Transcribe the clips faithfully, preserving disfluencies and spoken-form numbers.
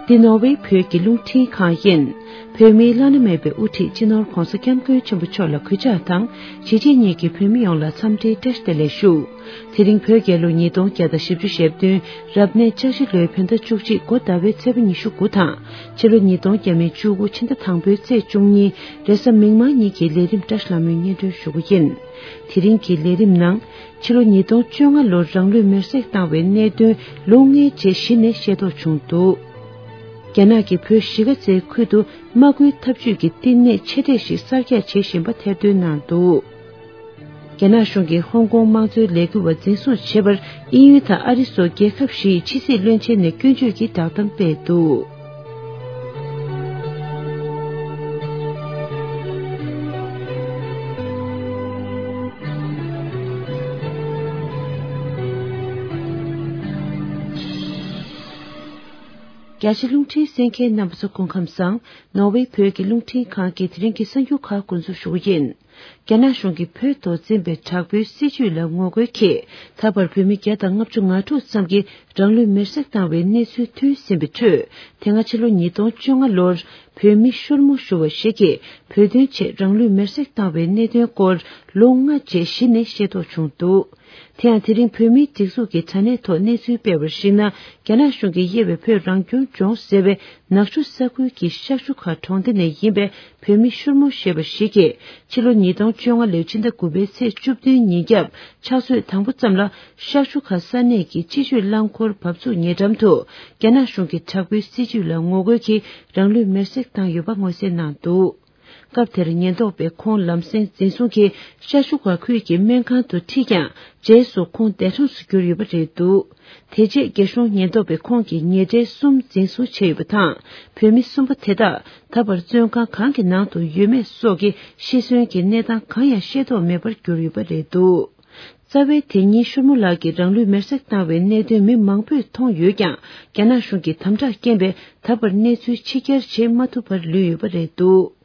འདི་ནོར་ཝེ་བོད་ཀྱི་རླུང་འཕྲིན་ཁང་ཡིན། བོད་མིའི་བླ་ན་མེད་པའི་དབུ་ཁྲིད་སྤྱི་ནོར་༧གོང་ས་༧སྐྱབས་མགོན་ཆེན་པོ་མཆོག་ལ་གུས་ཕྱག་དང་། གཞིས་བྱེས་གཉིས་ཀྱི་བོད་མི་ཡོངས་ལ་འཚམས་འདྲིའི་བཀྲ་ཤིས་བདེ་ལེགས་ཞུ། དེ་རིང་བོད་རྒྱལ་ལོ་ཉིས་སྟོང་བརྒྱ་དང་བཞི་བཅུ་ཞེ་བདུན་རབ་གནས་འཆར་གཞི་ལོའི་བོད་ཟླ་བཅུ་གཅིག་འགོ་ཟླ་བའི་ཚེས་པ་ཉི་ཤུ་དགུ་དང་། ཕྱི་ལོ་ཉིས་སྟོང་བརྒྱ་མེད་བཅུ་དགུ་ཕྱི་ཟླ་དང་པོའི་ཚེས་བཅུ་གཉིས་རེས་གཟའ་མིག་དམར་ཉིན་གྱི་ལས་རིམ་བཀྲ་ཤིས་ལྷ་མོའི་སྙན་སྒྲོན་ཞུ་རྒྱུ་ཡིན། དེ་རིང་གི་ལས་རིམ་ནང་། ཕྱི་ལོ་ཉིས་སྟོང་བཅོ་ལྔ་ལོར་རང་ལུས་མེར་སྲེག་བཏང་བའི་གནད་དོན་ལོ་ལྔའི་རྗེས་གཞི་ནས་ཤེས་རྟོགས་བྱུང་འདུག་རྒྱ་ནག་གིས་བོད་གཞིས་ཀ་རྩེའི་ཁུལ་དུ་དམག་སྐུལ་འཐབ་ཇུས་ཀྱི་བསྟི་གནས་ཆེ་གྲས་ཤིག་གསར་རྒྱག་བྱེད་བཞིན་པ་ཐེར་འདོན་གནང་འདུག་རྒྱ་ནག་གཞུང་གིས་ཧོང་ཀོང་དམངས་གཙོའི་ལས་འགུལ་བ་འཛིན་བཟུང་བྱས་པར་དབྱིན་ཡུལ་དང་ཨ་རི་སོགས་རྒྱལ་ཁབ་བཞིའི་ཕྱི་སྲིད་བློན་ཆེན་ནས་སྐྱོན་བརྗོད་ཀྱི་བསྒྲགས་གཏམ་སྤེལ་འདུག་རྒྱ་ཆེ་རླུང་འཕྲིན་གསན་མཁན་རྣམ་པ་ཚོ་སྐུ་ཁམས་བཟང་། ནོར་ཝེ་བོད་ཀྱི་རླུང་འཕྲིན་ཁང་གི་དེ་རིང་གི་གསར་འགྱུར་ཁག་འགོ་འཛུགས་ཞུ་གི་ཡིན། རྒྱ་ནག་གཞུང་གིས་བོད་ཐོག་འཛིན་པའི་དྲག་པོའི་སྲིད་བྱུས་ལ་ངོ་རྒོལ་གྱིས། ད་བར་བོད་མི་བརྒྱ་དང་ལྔ་བཅུ་ང་དྲུག་ཙམ་གྱིས་རང་ལུས་མེར་སྲེག་བཏང་བའི་གནས་ཚུལ་ཐོན་ཟིན་པའི་ཁྲོད། དེ་སྔ་ཕྱི་ལོ་ཉིས་སྟོང་བཅོ་ལྔ་ལོར་བོད་མི་ཤོར་མོ་ཞུ་བ་ཞིག་གིས་བོད་དོན་ཆེད་རང་ལུས་མེར་སྲེག་བཏང་བའི་གནད་དོན་སྐོར་ལོ་ལྔ་རྗེས་གཞི་ནས་ཤེས་རྟོགས་བྱུང་འདུག་དེ་ཡང་དེ་རིང་བོད་མིའི་སྒྲིག་འཛུགས་ཀྱི་དྲ་གནས་ཐོག་གནས་ཚུལ་སྤེལ་བར་གཞིགས་ན། རྒྱ་ནག་གཞུང་གིས་དབྱེ་བའི་བོད་རང་སྐྱོང་ལྗོངས་ཟེར་བའི་ནག་ཆུ་ས་ཁུལ་གྱི་ཤག་ཆུ་ཁ་གྲོང་སྡེ་ནས་ཡིན་པའི་བོད་མི་ཤུར་མོ་ཞེས་པ་ཞིག་གིས། ཕྱི་ལོ་ཉིས་སྟོང་བཅོ་ལྔ་ལོའི་ཕྱི་ཟླ་དགུ་པའི་ཚེས་བཅུ་བདུན་ཉིན་རྒྱབ་ཕྱག་ཚོད་དང་པོ་ཙམ་ལ་ཤག་ཆུ་ཁ་ས་གནས་ཀྱི་སྤྱི་སྤྱོད་རླངས་འཁོར་བབས་ཚུགས་ཉེ་འགྲམ་དུ། རྒྱ་ནག་གཞུང་གི་དྲག་པོའི་སྲིད་བྱུས་ལ་ངོ་རྒོལ་གྱིས་རང་ལུས་མེར་སྲེག་བཏང་ཡོད་པ་མངོན་གསལ་གནང་འདུག་སྐབས་དེར་ཉེན་རྟོག་པས་ཁོང་ལམ་སེང་འཛིན་བཟུང་གིས་ཤར་ཤུ་ག་ཁུལ་གྱི་སྨན་ཁང་དུ་ཁྲིད་ཀྱང་། རྗེས་སུ་ཁོང་འདས་གྲོངས་སུ་གྱུར་ཡོད་པ་རེད་འདུག་དེ་རྗེས་རྒྱ་གཞུང་ཉེན་རྟོག་པས་ཁོང་གི་ཉེ་འབྲེལ་གསུམ་འཛིན་བཟུང་བྱས་ཡོད་པ་དང་། བོད་མི་གསུམ་པ་དེ་དག་ད་བར་བཙོན་ཁང་གང་གི་ནང་དུ་ཡོད་མེད་སོགས་ཀྱི་ཤི་གསོན་གྱི་གནས་སྟངས་གང་ཡང་ཤེས་རྟོགས་མེད་པར་གྱུར་ཡོད་པ་རེད་འདུག་རྩ་བའི་དེ་ཉིན་ཤུར་མོ་ལགས་ཀྱིས་རང་ལུས་མེར་སྲེག་བཏང་བའི་གནད་དོན་མི་མང་པོས་མཐོང་ཡོད་ཀྱང་། རྒྱ་ནག་གཞུང་གི་དམ་དྲག་རྐྱེན་པས་ད་བར་གནས་ཚུལ་ཕྱི་གྱར་བྱེད་མ་ཐུབ་པར་ལུས་ཡོད་པ་རེད་འདུག་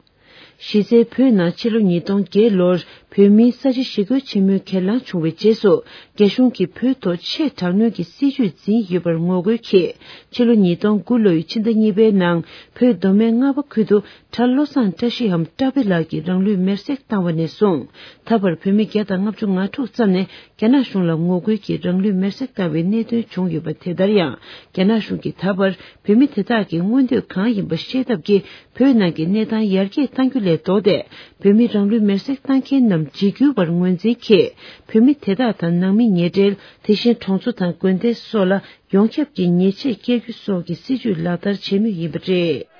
གཞི་རྩའི་བོད་ནང་ཕྱི་ལོ་ཉིས་སྟོང་བརྒྱད་ལོར་བོད་མིའི་ས་ཆ་ཞི་རྒོལ་ཆེན་མོའི་གྱེན་ལངས་བྱུང་བའི་རྗེས་སུ། རྒྱ་གཞུང་གིས་བོད་ཐོག་ཆེས་དྲག་གནོན་གྱི་སྲིད་བྱུས་འཛིན་ཡོད་པར་ངོ་རྒོལ་གྱིས། ཕྱི་ལོ་ཉིས་སྟོང་དགུ་ལོའི་ཕྱི་ཟླ་གཉིས་པའི་ནང་བོད་མདོ་སྨད་རྔ་བ་ཁུལ་དུ། གྲྭ་བློ་བཟང་བཀྲ་ཤིས་འམ་བཀྲ་བྷེ་ལགས་ཀྱིས་རང་ལུས་མེར་སྲེག་བཏང་བ་ནས་བཟུང་། ད་བར་བོད་མི་བརྒྱ་དང་ལྔ་བཅུ་ང་དྲུག་ཙམ་ནས་རྒྱ་ནག་གཞུང་ལ་ངོ་རྒོལ་གྱིས་རང་ལུས་མེར་སྲེག་བཏང་བའི་གནད་དོན་བྱུང་ཡོད་པ། དེ་ལྟར་ཡང་། རྒྱ་ནག་གཞུང་གིས་ད་བར་བོད་མི་དེ་དག་གི་མངོན་འདོད་གང་ཡིན་པ་ཤེས་ཐབས་ཀྱིས། བོད་ནང་གི་གནས་སྟངས་ཡར་རྒྱས་གཏང་རྒྱུ་ལས་ལྡོག་སྟེ། བོད་མི་རང་ལུས་མེར་སྲེག་བཏང་མཁན་རྣམས་འཇིགས་སྐུལ་བར་ངོས་འཛིན་གྱིས། བོད་མི་དེ་དག་དང་ནང་མི་ཉེ་འབྲེལ། དེ་བཞིན་གྲོང་ཚོ་དང་དགོན་སྡེ་སོགས་ལ། ཡོངས་ཁྱབ་ཀྱི་ཉེས་ཆད་བཀལ་རྒྱུ་སོགས་ཀྱི་སྲིད་བྱུས་ལག་བསྟར་བྱེད་མུས་ཡིན་པ་རེད།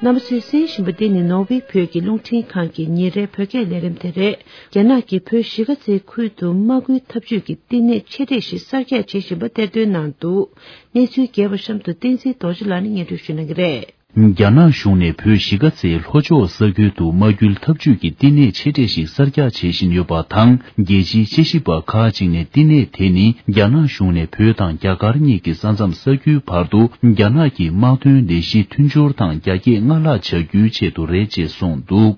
རྣམ་པ་ཚོས་གསན་བཞིན་པ་འདི་ནི་ནོར་ཝེ་བོད་ཀྱི་རླུང་འཕྲིན་ཁང་གི་ཉིན་རེའི་བོད་སྐད་ལས་རིམ་དེ་རེད། རྒྱ་ནག་གིས་བོད་གཞིས་ཀ་རྩེའི་ཁུལ་དུ་དམག་སྐུལ་འཐབ་ཇུས་ཀྱི་བསྟི་གནས་ཆེ་གྲས་ཤིག་གསར་རྒྱག་བྱེད་བཞིན་པ་གཏེར་འདོན་གནང་འདུག་གནས་ཚུལ་རྒྱས་པ་གཤམ་དུ་བསྟན་འཛིན་རྡོ་རྗེ་ལགས་ནས་སྙན་སྒྲོན་ཞུ་གནང་གི་རེད། རྒྱ་ནག་གཞུང་ནས་བོད་གཞིས་ཀ་རྩེའི་ལྷོ་ཕྱོགས་ས་ཁུལ་དུ་དམག་སྐུལ་འཐབ་ཇུས་ཀྱི་བསྟི་གནས་ཆེ་གྲས་ཤིག་གསར་རྒྱག་བྱེད་བཞིན་ཡོད་པ་དང་། རྒྱལ་སྤྱིའི་དཔྱད་ཞིབ་པ་ཁག་ཅིག་ནས་བསྟི་གནས་དེ་ནི་རྒྱ་ནག་གཞུང་ནས་བོད་དང་རྒྱ་གར་གཉིས་ཀྱི་ས་མཚམས་ས་ཁུལ་བར་དུ་རྒྱ་ནག་གི་དམག་དོན་ལས་གཞི་མཐུན་སྦྱོར་དང་རྒྱ་སྐྱེད་སྔར་ལྷག་བྱ་རྒྱུའི་ཆེད་དུ་རེད་ཅེས་གསུངས་འདུག་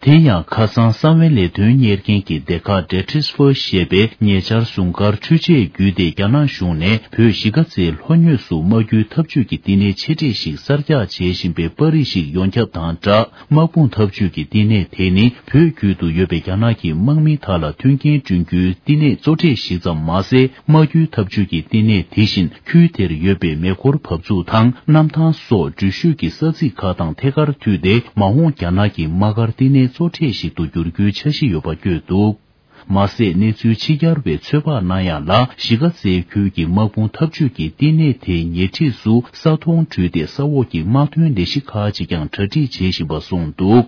དེ་ཡང་ཁ་སང་གསང་བའི་ལས་དོན་གཉེར་མཁན་གྱི་སྡེ་ཁག་ཌེ་ཊིས་ཧྥོ་ཞེས་པས་ཉེ་ཆར་ཟུང་སྐར་འཕྲུལ་ཆས་བརྒྱུད་དེ་རྒྱ་ནག་གཞུང་ནས་བོད་གཞིས་ཀ་རྩེའི་ལྷོ་ངོས་སུ་དམག་སྐུལ་འཐབ་ཇུས་ཀྱི་བསྟི་གནས་ཆེ་གྲས་ཤིག་གསར་རྒྱག་བྱེད་བཞིན་པའི་པར་རིས་ཤིག་ཡོངས་ཁྱབ་དང་སྦྲགས། དམག་དཔུང་འཐབ་ཇུས་ཀྱི་བསྟི་གནས་དེ་ནི་བོད་བརྒྱུད་དུ་ཡོད་པའི་རྒྱ་ནག་གི་དམག་མི་དག་ལ་མཐུན་རྐྱེན་བསྐྲུན་རྒྱུའི་བསྟི་གནས་གཙོ་གྲས་ཤིག་ཙམ་མ་ཟད། དམག་སྐུལ་འཐབ་ཇུས་ཀྱི་བསྟི་གནས་དེ་བཞིན་ཁུལ་དེར་ཡོད་པའི་མེ་འཁོར་འབབ་ཚུགས་དང་གནམ་ཐང་སོགས་འགྲུལ་བཞུད་ཀྱི་ས་ཚིགས་ཁག་དང་ཐད་ཀར་མཐུད་དེ། མ་འོངས་རྒྱ་ནག་གི་དམག་སྒར་བསྟི་གནས་གཙོ་གྲས་ཤིག་ཏུ་འགྱུར་རྒྱུའི་འཆར་གཞི་ཡོད་པ་བཀོད་འདུག་མ་ཟད། གནས་ཚུལ་ཕྱི་གྱར་བས་ཚོད་དཔག་གནང་ཡག་ལ། གཞིས་ཀ་རྩེའི་ཁུལ་གྱི་དམག་དཔུང་འཐབ་ཇུས་ཀྱི་བསྟི་གནས་དེའི་ཉེ་འཁྲིས་སུ་ས་མཐོང་བྲུས་ཏེ་ས་འོག་གི་དམག་དོན་ལས་གཞི་ཁག་ཅིག་ཀྱང་གྲ་སྒྲིག་བྱེད་བཞིན་པ་གསུངས་འདུག་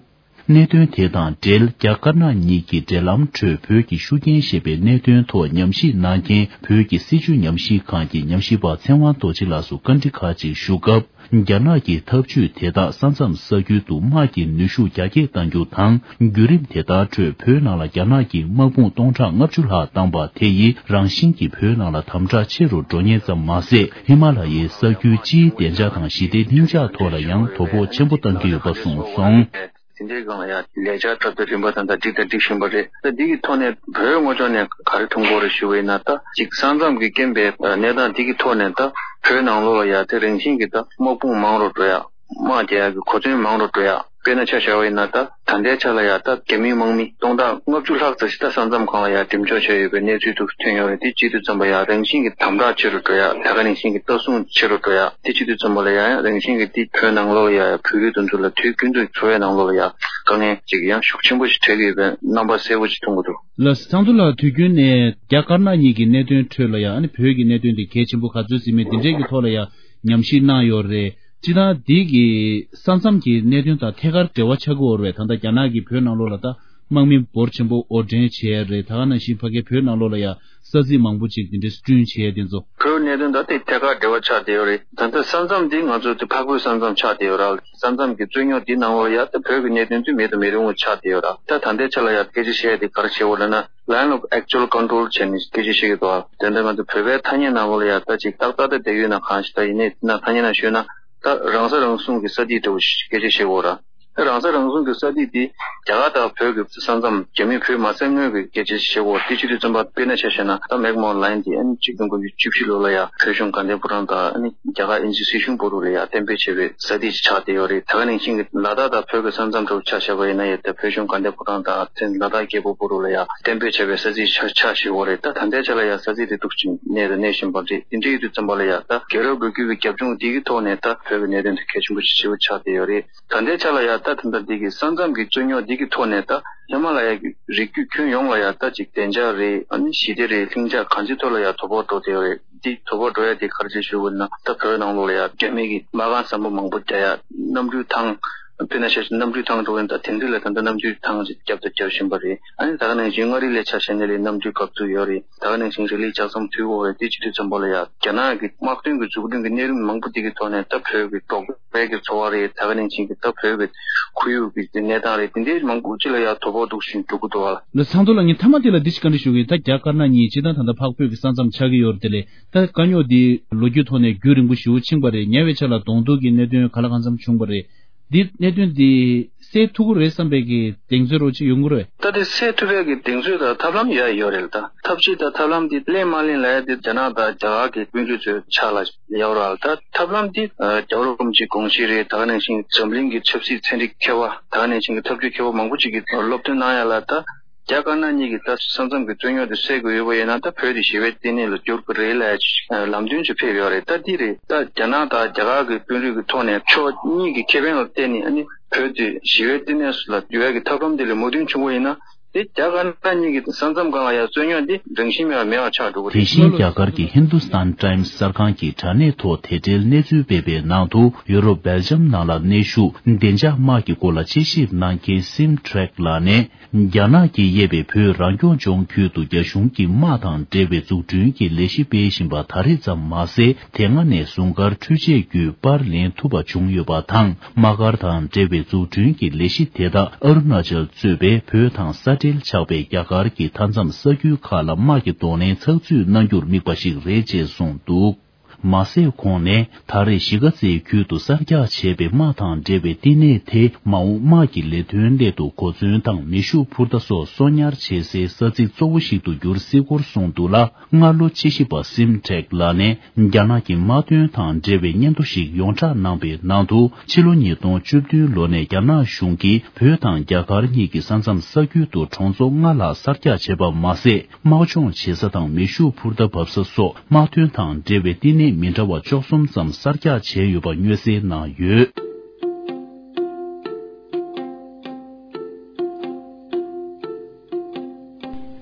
གནད་དོན་དེ་དང་འབྲེལ། རྒྱ་དཀར་ནག་གཉིས་ཀྱི་འབྲེལ་ལམ་ཁྲོད་བོད་ཀྱི་ཤུགས་རྐྱེན་ཞེས་པའི་གནད་དོན་ཐོག་ཉམས་ཞིབ་གནང་མཁན་བོད་ཀྱི་སྲིད་བྱུས་ཉམས་ཞིབ་ཁང་གི་ཉམས་ཞིབ་པ་ཚེ་དབང་རྡོ་རྗེ་ལགས་སུ་བཀའ་འདྲི་ཁག་ཅིག་ཞུ་སྐབས། རྒྱ་ནག་གི་འཐབ་ཇུས་དེ་དག་ས་མཚམས་ས་ཁུལ་དུ་དམག་གི་ནུས་ཤུགས་རྒྱ་སྐྱེད་གཏང་རྒྱུ་དང་། བརྒྱུད་རིམ་དེ་དག་ཁྲོད་བོད་ནང་ལ་རྒྱ་ནག་གིས་དམག་དཔུང་སྟོང་ཕྲག་ལྔ་བཅུ་ལྷག་བཏང་པ་དེ་ཡིས་རང་བཞིན་གྱིས་བོད་ནང་ལ་དམ་དྲག་ཆེ་རུ་འགྲོ་ཉེན་ཙམ་མ་ཟད། ཧི་མ་ལ་ཡའི་ས་ཁུལ་སྤྱིའི་བདེ་འཇགས་དང་ཞི་བདེ་ལྷིང་འཇགས་ཐོག་ལ་ཡང་དོ་ཕོག་ཆེན་པོ་བཏང་གི་ཡོད་པ་གསུངས་སོང་། དེ་འདྲའི་སྒང་ལ་ཡང་ལས་འཆར་གྲ་སྒྲིག་རིམ་པ་དང་ད་སྒྲིག་དང་སྒྲིག་བཞིན་པ་རེད། ད་འདི་གི་ཐོག་ནས་བོད་ངོས་ཕྱོགས་ནས་ག་རེ་མཐོང་གི་ཡོད་རེད་ཞུ་བ་ཡིན་ན། ད་ཅིག་ས་མཚམས་ཀྱི་རྐྱེན་པས་གནས་སྟངས་འདི་གི་ཐོག་ནས་ད་བོད་ནང་ལོགས་ལ་ཡང་དེ་རང་བཞིན་གྱི་ད་དམག་དཔུང་མང་རུ་འགྲོ་ཡ། དམག་རྒྱག་ཡག་གི་གོ་མཚོན་མང་རུ་འགྲོ་ཡ། དཔེར་ན་ཆ་བཞག་པ་ཡིན་ན། ད་ད་ལྟའི་ཆ་ལ་ཡ་ད་རྒྱ་མིའི་དམག་མི་སྟོང་ཕྲག་ལྔ་བཅུ་ལྷག་ཙམ་ཞིག་ད་ས་མཚམས་སྒང་ལ་ཡ་འགྲེམས་འཇོག་བྱས་ཡོད་པའི་གནས་ཚུལ་དུ་ཐོན་ཡོད་རེད། དེ་གཅིག་ཏུ་བརྩིས་པ་ཡ་རང་བཞིན་གྱི་དམ་དྲག་ཆེ་རུ་འགྲོ་ཡ། ད་ག་ནང་བཞིན་གྱི་ལྟ་སྲུང་ཆེ་རུ་འགྲོ་ཡ། དེ་གཅིག་ཏུ་བརྩིས་པ་ལ་ཡ་ཡང་རང་བཞིན་གྱི་དེ་བོད་ནང་ལོགས་ལ་ཡ་ཡ་བོད་རིགས་དེ་ཚོ་ལ་དུས་རྒྱུན་དུ་འཚོ་བའི་ནང་ལོགས་ལ་ཡ་དཀའ་ངལ་ཅིག་ཡང་ཤུགས་ཆེན་པོ་ཞིག་འཕྲད་ཀྱི་ཡོད་པའི་རྣམ་པ་གསལ་པོ་ཞིག་མཐོང་གི་འདུག་ལགས་སོ། ཚང་འཛོམས་ལགས། དུས་རྒྱུན་ནས་རྒྱ་དཀར་ནག་གཉིས་ཀྱི་གནད་དོན་ཁྲོད་ལ་ཡ་ཨ་ནི་བོད་ཀྱི་གནད་དོན་དེ་གལ་ཆེན་པོ་ག་ཚོད་ཟིན་མིན་དེ་འདྲའི་གི་ཐོག་ལ་ཡ་ཉམས་ཞིབ་གནང་ཡོད་རེད། སྤྱིར་བཏང་འདི་གི་ས་མཚམས་ཀྱི་གནད་དོན་དང་ཐད་ཀར་འབྲེལ་བ་ཆགས་ཀྱི་ཡོད་རེད། ད་ལྟ་རྒྱ་ནག་གིས་བོད་ནང་ལོགས་ལ་ད་དམག་མི་འབོར་ཆེན་པོ་དབོར་འདྲེན་བྱས་རེད། ད་ག་ནང་བཞིན་ཕ་གིའི་བོད་ནང་ལོགས་ལ་ཡ་ས་ཚིགས་མང་པོ་ཅིག་དེ་འདྲའི་བསྐྲུན་བྱས་དེ་ཚོ། བོད་གནད་དོན་དང་དེ་ཐད་ཀར་འབྲེལ་བ་ཆགས་བསྡད་ཡོད་རེད། ད་ལྟ་ས་མཚམས་འདི་ང་ཚོ་དེ་འཕགས་བོད་ས་མཚམས་ཆགས་བསྡད་ཡོད་ར། ས་མཚམས་ཀྱི་རྩོད་རྙོག་འདི་ནང་ལོགས་ལ་ཡ་ད་བོད་ཀྱི་གནད་དོན་དེ་མེད་དུ་མི་རུང་བ་ཆགས་བསྡད་ཡོད་ར། ད་ད་ལྟའི་ཆ་ལ་ཡ་སྐད་ཆ་བཤད་དེ་ག་རེ་བྱེད་དགོས་ལབ་ན། Line of actual control བྱས་ནས་སྐད་ཆ་བཤད་ཀྱི་འདུག་ཨ། དེ་འདྲ་ང་ཚོ་བོད་པའི་ཐ་སྙད་ནང་ལོགས་ལ་ཡ་ད་ཅིག་ཏག་ཏག་ཏག་བསྡད་ཡོད་ན་གང་ཞིག་ད་ཡིན་ནའི་དེ་ན་ཐ་སྙད་ནང་ཤོད་ན། ད་རང་ས་རང་སྲུང་གི་ས་ཐིག་འདྲ་བོ་ཞིག་སྐད་ཆ་བཤད་དགོས་ར། ད་རང་ས་རང་སྲུང་གི་ས་ཐིག་དེ་རྒྱ་གར་དང་བོད་ཀྱི་ས་མཚམས། རྒྱ་མི་བོད་མ་བཙལ་སྔོན་གྱི་སྐད་ཆ་བཤད་དགོས། དེ་བྱེད་དུས་ཙམ་པ་དཔེར་ན་ཆ་བཞག་ན། ད་མེག་མོ་ལན་དེ་ཨ་ནི་ཆིག་སྟོང་དགུ་བརྒྱ་བཅུ་བཞི་ལོ་ལ་ཡ་བོད་གཞུང་དགའ་ལྡན་ཕོ་བྲང་དང་ཨ་ནི་རྒྱ་གར་དབྱིན་ཇི་སྲིད་གཞུང་བར་དུ་ལ་ཡ་གཏན་འབེབས་བྱས་པའི་ས་ཐིག་ཅིག་ཆགས་བསྡད་ཡོད་རེད། ད་ག་ནང་བཞིན་གྱི་ལ་དྭགས་དང་བོད་ཀྱི་ས་མཚམས་འདྲ་བོ་ཆ་བཞག་པ་ཡིན་ན་ཡང་། ད་བོད་གཞུང་དགའ་ལྡན་ཕོ་བྲང་དང་དེ་ལ་དྭགས་རྒྱལ་པོ་བར་དུ་ལ་ཡ་གཏན་འབེབས་བྱས་པའི་ས་ཚིགས་ཆགས་ཆགས་བཞག་ཡོད་རེད། ད་ད་ལྟའི་ཆ་ལ་ཡ་ས་ཚིགས་དེ་འདུག་ཅིང་གནས་དང་གནས་བཞིན་པ་རེད། དེ་འདྲ་ཡོད་དུས་ཙམ་པ་ལ་ཡ་ད་རྒྱལ་རབས་སྒོས་ཀྱི་རྒྱབ་ལྗོངས་འདི་གི་ཐོག་ནས་ད་བོད་ཀྱི་གནད་དོན་དེ་གལ་ཆེན་པོ་ཞིག་ཆེ་བོ་ཆགས་བསྡད་ཡོད་རེད། ད་ལྟའི་ཆ་ལ་ཡ་ད་ད་ལྟ་འདི་གི་ས་མཚམས་ཀྱི་རྩོད་རྙོག་འདི་གི་ཐོག་ནས་ད་ཧི་མ་ལ་ཡ་གི་རི་རྒྱུད་ཁྱོན་ཡོངས་ལ་ཡ་ད་ཅིག་བདེ་འཇགས་རེད། ཨ་ནི་ཞི་བདེ་རེད། ལྷིང་འཇགས་གང་ཅིའི་ཐོག་ལ་ཡ་དོ་ཕོག་འགྲོ་བསྡད་ཡོད་རེད། འདི་དོ་ཕོག་འགྲོ་ཡ་དེ་ག་རེ་བྱས་ཞུ་དགོས་ན། ད་བོད་ནང་ལོགས་ལ་ཡ་རྒྱ་མི་གི་མ་རྐང་ཟམ་པ་མང་པོ་རྒྱག་ཡ། གནམ་གྲུའི་ཐང་། དཔེར་ན་ཆ་བཞག་གནམ་གྲུའི་ཐང་འགྲོ་གི་ཡིན། ད་དེ་འདྲ་ལ་ད་ལྟ་གནམ་གྲུའི་ཐང་ཅིག་བརྒྱབ་དང་རྒྱག་བཞིན་པ་རེད། ཨ་ནི་ད་ག་ནང་བཞིན་མངའ་རིས་ལ་ཆ་བཞག་ན་ལས་གནམ་གྲུའི་འགག་འཛུགས་ཡོད་རེད། ད་ག་ནང་བཞིན་རི་ལི་ལྕགས་ཟམ་མཐུད་ཡོད་རེད། དེ་བྱེད་དུས་ཙམ་པ་ལ་ཡ་རྒྱ་ནག་གི་དམག་དོན་གྱི་འཛུགས་སྐྲུན་གྱི་གནས་རིམ་མང་པོ་དེ་གི་ཐོག་ནས་ད་བོད་ཀྱི་འབྲོག་པའི་གི་འཚོ་བ་རེད། ད་ག་ནང་བཞིན་གྱི་ད་བོད་ཀྱི་ཁོར་ཡུག་གི་གནས་སྟངས་རེད། དེ་འདྲའི་མང་པོ་ཅིག་ལ་ཡ་དོ་ཕོག་འདུག་བཞིན་འགྲོ་གི་འདུག་བ། ལགས་སོ། ཚང་འཛོམས་ལགས། ངས་མཐའ་མ་དེ་ལ་འདི་ཞིག་བཀའ་འདྲི་ཞུ་གི་ཡིན། ད་རྒྱ་དཀར་ནག་གཉིས་སྤྱིར་བཏང་ད་ལྟ་འཕགས་བོད་ཀྱི་ས་མཚམས་ཆགས་ཀྱི་ཡོད་རེད། དེ་ལས་ད་དཀའ་རྙོག་འདི་ལོ་རྒྱུས་ཐོག་ནས་རྒྱུན་རིང་པོ་ཞེ་པོ་ཕྱིན་པ་རེད། ཉེ་བའི་ཆར་ལ་གདོང་ཐུག་གི་གནད་དོན་ག་ལ་གང་འཚམ་བྱུང་བ་རེད། འདི་གནད་དོན་འདི་སེལ་ཐུབ་ཀྱི་རེད་བསམ་པའི་གི་གདེང་ཚོད་རོ་ཅིག་ཡོང་གི་རེད། ད་དེ་སེལ་ཐུབ་པའི་གི་གདེང་ཚོད་དང་ཐབས་ལམ་ཡོད་ཡོད་རེད། ད་ཐབས་ཤེས་དང་ཐབས་ལམ་འདི་ལེན་མ་ལེན་ལ་ཡ་དེ་རྒྱ་ནག་དང་རྒྱ་གར་གི་དཔོན་རིགས་ཚོའི་ཕྱག་ལ་ཡོད་རེད། ད་ཐབས་ལམ་འདི་རྒྱལ་བ་རིན་པོ་ཆེའི་དགོངས་གཞི་རེད། ད་ག་ནང་བཞིན་འཛམ་གླིང་གི་ཆབ་སྲིད་ཚན་རིག་མཁས་པ། ད་ག་ནང་བཞིན་གི་ཐབས་བྱུས་མཁས་པ་མང་པོ་ཅིག་གིས་སློབ་སྟོན་གནང་ཡ་ལ། ད་རྒྱ་དཀར་ནག་གཉིས་ཀྱི་ད་ས་མཚམས་ཀྱི་རྩོད་རྙོག་དེ་སེལ་དགོས་ཡོད་པ་ཡིན་ན། ད་བོད་དེ་ཞི་བའི་བསྟི་གནས་ལ་བསྒྱུར་དགོས་རེད་ལབ་ཡ་ལམ་སྟོན་ཅིག་ཕེབས་ཡོད་རེད། ད་འདི་རེད། ད་རྒྱ་ནག་དང་རྒྱ་གར་གྱི་དཔོན་རིགས་ཀྱི་ཐོག་ནས་ཕྱོགས་གཉིས་ཀྱི་ཁེ་ཕན་ལ་བརྟེན་ནས་ཨ་ནི་བོད་དེ་ཞི་བའི་བསྟི་གནས་སུ་ལ་བསྒྱུར་ཡ་གི་ཐབས་ལམ་དེ་ལ་མོས་མཐུན་བྱུང་བ་ཡིན་ན། དེ་རྒྱ་དཀར་ནག་གཉིས་ཀྱི་ས་མཚམས་སྒང་ལ་ཡ་རྩོད་རྙོག་འདི་རང་བཞིན་མེད་པ་མེད་པ་ཆགས་འགྲོ་གི་རེད། དེ་བཞིན་རྒྱ་གར་གྱི་ཧིན་དུ་སྟན་ཊའིམ་སི་གསར་ཁང་གི་དྲ་གནས་ཐོག་དེ་འབྲེལ་གནས་ཚུལ་སྤེལ་བའི་ནང་དུ། ཡུ་རོབ་སྦེལ་ཇམ་ནང་ལ་གནས་བཞུགས་བདེ་འཇགས་དམག་གི་སྐོར་ལ་དཔྱད་ཞིབ་གནང་མཁན་སིམ་ཁྲེག་ལགས་ནས། རྒྱ་ནག་གིས་དབྱེ་བའི་བོད་རང་སྐྱོང་ལྗོངས་ཁུལ་དུ་རྒྱ་གཞུང་གི་དམག་དང་འབྲེལ་བའི་འཛུགས་སྐྲུན་གྱི་ལས་གཞི་སྤེལ་བཞིན་པ་ད་རེས་ཙམ་མ་ཟད། དེ་སྔ་ནས་ཟུང་སྐར་འཕྲུལ་ཆས་བརྒྱུད་པར་ལེན་ཐུབ་པ་བྱུང་ཡོད་པ་དང་། དམག་སྒར་དང་འབྲེལ་བའི་འཛུགས་སྐྲུན་གྱི་ལས་གཞི་དེ་དག་ཨ་རུ་ན་ཅལ་གཙོས་པའི་བོད་དང་ས་འབྲེལ་ཆགས་པའི་རྒྱ་གར་གྱི་མཐའ་མཚམས་ས་ཁུལ་ཁག་ལ་དམག་གི་གདོང་ལེན་ཚགས་ཚུད་གནང་རྒྱུར་དམིགས་པ་ཞིག་རེད་ཅེས་གསུངས་འདུག། མ་ཟད། ཁོང་ནས་ད་རེས་གཞིས་ཀ་རྩེའི་ཁུལ་དུ་གསར་རྒྱག་བྱས་པའི་དམག་དང་འབྲེལ་བའི་བསྟི་གནས་དེ། མ་འོངས་དམག་གི་ལས་དོན་སླད་དུ་གོ་མཚོན་དང་མེ་ཤུགས་འཕུར་མདའ་སོགས་གསོག་ཉར་བྱེད་སའི་ས་ཚིགས་གཙོ་བོ་ཞིག་ཏུ་འགྱུར་སྲིད་སྐོར་གསུངས་འདུག་ལ། སྔ་ལོ་དཔྱད་ཞིབ་པ་སིམ་ཁྲེག་ལགས་ནས་རྒྱ་ནག་གི་དམག་དོན་དང་འབྲེལ་བའི་སྙན་ཐོ་ཞིག་ཡོངས་བསྒྲགས་གནང་པའི་ནང་དུ། ཕྱི་ལོ་ཉིས་སྟོང་བཅུ་བདུན་ལོ་ནས་རྒྱ་ནག་གཞུང་གིས་བོད་དང་རྒྱ་གར་གཉིས་ཀྱི་ས་མཚམས་ས་ཁུལ་དུ་གྲོང་ཚོ་ལྔ་ལྷག་གསར་རྒྱག་བྱས་པ་མ་ཟད། དམག་སྦྱོང་བྱེད་ས་དང་མེ་ཤུགས་འཕུར་མདའ་འབབ་ས་སོགས་དམག་དོན་དང་འབྲེལ་བའི་བསྟི་གནས་མི་འདྲ་བ་བཅུ་གསུམ་ཙམ་གསར་རྒྱག་བྱས་ཡོད་པ་མངོན་གསལ་གནང་ཡོད།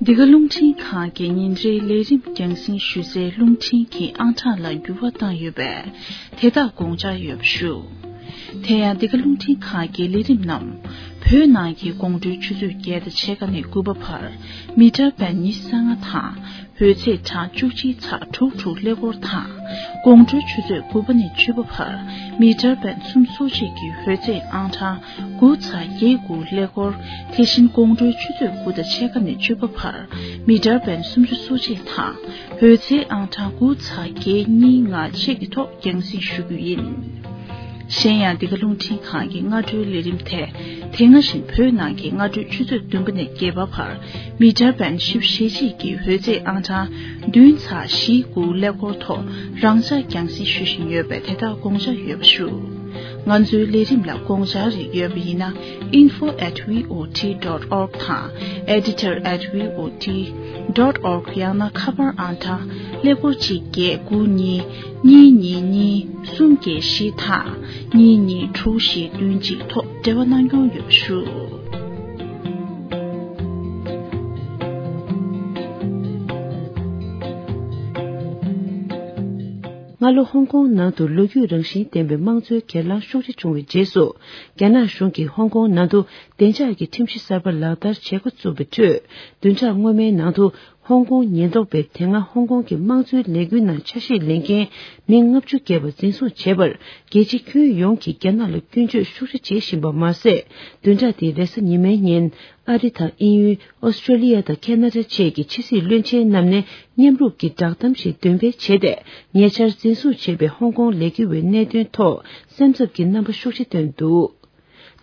འདི་ག་རླུང་འཕྲིན་ཁང་གི་ཉིན་རེའི་ལས་རིམ་རྒྱང་སྲིང་ཞུ་སའི་རླུང་འཕྲིན་གྱི་ཨང་གྲངས་ལ་འགྱུར་བ་བཏང་ཡོད་པས། དེ་དག་དགོངས་འཇགས་ཡོད་པ་ཞུ། དེ་ཡང་འདི་ག་རླུང་འཕྲིན་ཁང་གི་ལས་རིམ་རྣམས་བོད་ནང་གི་དགོང་དྲོའི་ཆུ་ཚོད་བརྒྱད་དང་ཕྱེད་ཀ་ནས་དགུ་པ་བར་མི་ཊར་བེན་ཉི་ཤུ་རྩ་ལྔ་དང་འོད་ཚད་གྲངས་བཅུ་གཅིག་ཚེག་དྲུག་དྲུག་ཀླད་ཀོར་དང་། དགོང་དྲོའི་ཆུ་ཚོད་དགུ་པ་ནས་བཅུ་པ་བར་མི་ཊར་བེན་སུམ་ཅུ་སོ་གཅིག་གི་འོད་ཚད་ཨང་གྲངས་དགུ་ཚེག་བརྒྱད་དགུ་ཀླད་ཀོར། དེ་བཞིན་དགོང་དྲོའི་ཆུ་ཚོད་དགུ་དང་ཕྱེད་ཀ་ནས་བཅུ་པ་བར་མི་ཊར་བེན་སུམ་ཅུ་སོ་གཅིག་དང་འོད་ཚད་ཨང་གྲངས་དགུ་ཚེག་བརྒྱད་གཉིས་ལྔ་བཅས་ཀྱི་ཐོག་རྒྱང་སྲིང་ཞུ་རྒྱུ་ཡིན། གཞན་ཡང་འདི་ག་རླུང་འཕྲིན་ཁང་གི་སྔ་དྲོའི་ལས་རིམ་དེ། དེ་སྔ་བཞིན་བོད་ནང་གི་སྔ་དྲོའི་ཆུ་ཚོད་བདུན་པ་ནས་བརྒྱད་པ་བར། མི་ཊར་བེན་བཞི་བཅུ་ཞེ་གཅིག་གི་འོད་རྫས་ཨང་གྲངས་བདུན་ཚེག་བཞི་དགུ་ཀླད་ཀོར་ཐོག་རང་འཇགས་རྒྱང་སྲིང་ཞུ་བཞིན་ཡོད་པས། དེ་དག་དགོངས་འཇགས་ཡོད་པ་ཞུ། ང་ཚོའི་ལས་རིམ་ལ་དགོངས་འཆར་རེ་ཡོད་པ་ཡིན་ན། info at V O T dot org དང་editor at V O T dot org ཡང་ན་ཁ་པར་ཨང་གྲངས་ཀླད་ཀོར་གཅིག་བརྒྱད་དགུ་གཉིས་གཉིས་གཉིས་གཉིས་གསུམ་བརྒྱད་བཞི་དང་གཉིས་གཉིས་དྲུག་བཞི་བདུན་གཅིག་ཐོག་འབྲེལ་བ་གནང་སྐྱོང་ཡོད་པ་ཞུ། སྔ་ལོ་ཧོང་ཀོང་ནང་དུ་ལོ་རྒྱུས་རང་བཞིན་ལྡན་པའི་དམངས་གཙོའི་སྒེར་ལངས་ཤུགས་ཆེ་བྱུང་བའི་རྗེས་སུ། རྒྱ་ནག་གཞུང་གིས་ཧོང་ཀོང་ནང་དུ་བདེ་འཇགས་ཀྱི་ཁྲིམས་གཞི་གསར་པ་ལག་བསྟར་བྱེད་འགོ་བཙུགས་པའི་ཁྲོད། བདུན་ཕྲག་སྔོན་མའི་ནང་དུ། ཧོང་ཀོང་ཉེན་རྟོག་པས་དེ་སྔ་ཧོང་ཀོང་གི་དམངས་གཙོའི་ལས་འགུལ་ནང་ཆ་ཤས་ལེན་མཁན་མི་ལྔ་བཅུ་བརྒལ་བ་འཛིན་བཟུང་བྱས་པར། རྒྱལ་སྤྱི་ཁྱོན་ཡོངས་ཀྱིས་རྒྱ་ནག་ལ་སྐྱོན་བརྗོད་ཤུགས་ཆེ་བྱེད་བཞིན་པ་མ་ཟད། བདུན་ཕྲག་འདིའི་རེས་གཟའ་ཉི་མའི་ཉིན། ཨ་རི་དང་དབྱིན་ཡུལ། ཨོ་སི་ཀྲོ་ལི་ཡ་དང་ཁེ་ན་ཌ་བཅས་ཀྱི་ཕྱི་སྲིད་བློན་ཆེན་རྣམས་ནས་མཉམ་རུབ་ཀྱི་བསྒྲགས་གཏམ་ཞིག་འདོན་སྤེལ་བྱས་ཏེ། ཉེ་ཆར་འཛིན་བཟུང་བྱས་པའི་ཧོང་ཀོང་ལས་འགུལ་བའི་གནད་དོན་ཐོག་སེམས་འཚབ་ཀྱི་རྣམ་པ་ཤུགས་ཆེ་བཏོན་འདུག་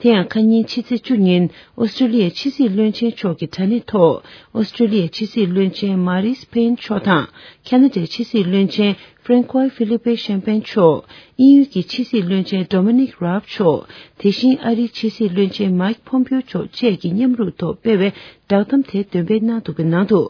དེ་ཡང་ཁ་ཉིན་ཕྱི་ཚེས་བཅུ་ཉིན་ཨོ་སི་ཀྲོ་ལི་ཡའི་ཕྱི་སྲིད་བློན་ཆེན་མཆོག་གི་དྲ་གནས་ཐོག་ཨོ་སི་ཀྲོ་ལི་ཡའི་ཕྱི་སྲིད་བློན་ཆེན་མ་རིས་པེན་མཆོག་དང་། ཁེ་ན་ཌའི་ཕྱི་སྲིད་བློན་ཆེན་ཧྥྲན་ཁོའི་ཧྥི་ལི་པེ་ཤན་པེན་མཆོག་དབྱིན་ཡུལ་གྱི་ཕྱི་སྲིད་བློན་ཆེན་ཌོ་མི་ནིག་རཱབ་མཆོག་དེ་བཞིན་ཨ་རིའི་ཕྱི་སྲིད་བློན་ཆེན་མཱིག་ཕོམ་པིའོ་མཆོག་བཅས་ཀྱིས་མཉམ་རུབ་ཐོག་སྤེལ་བའི་བསྒྲགས་གཏམ་དེ་འདོན་སྤེལ་གནང་འདུག་པའི་ནང་དུ།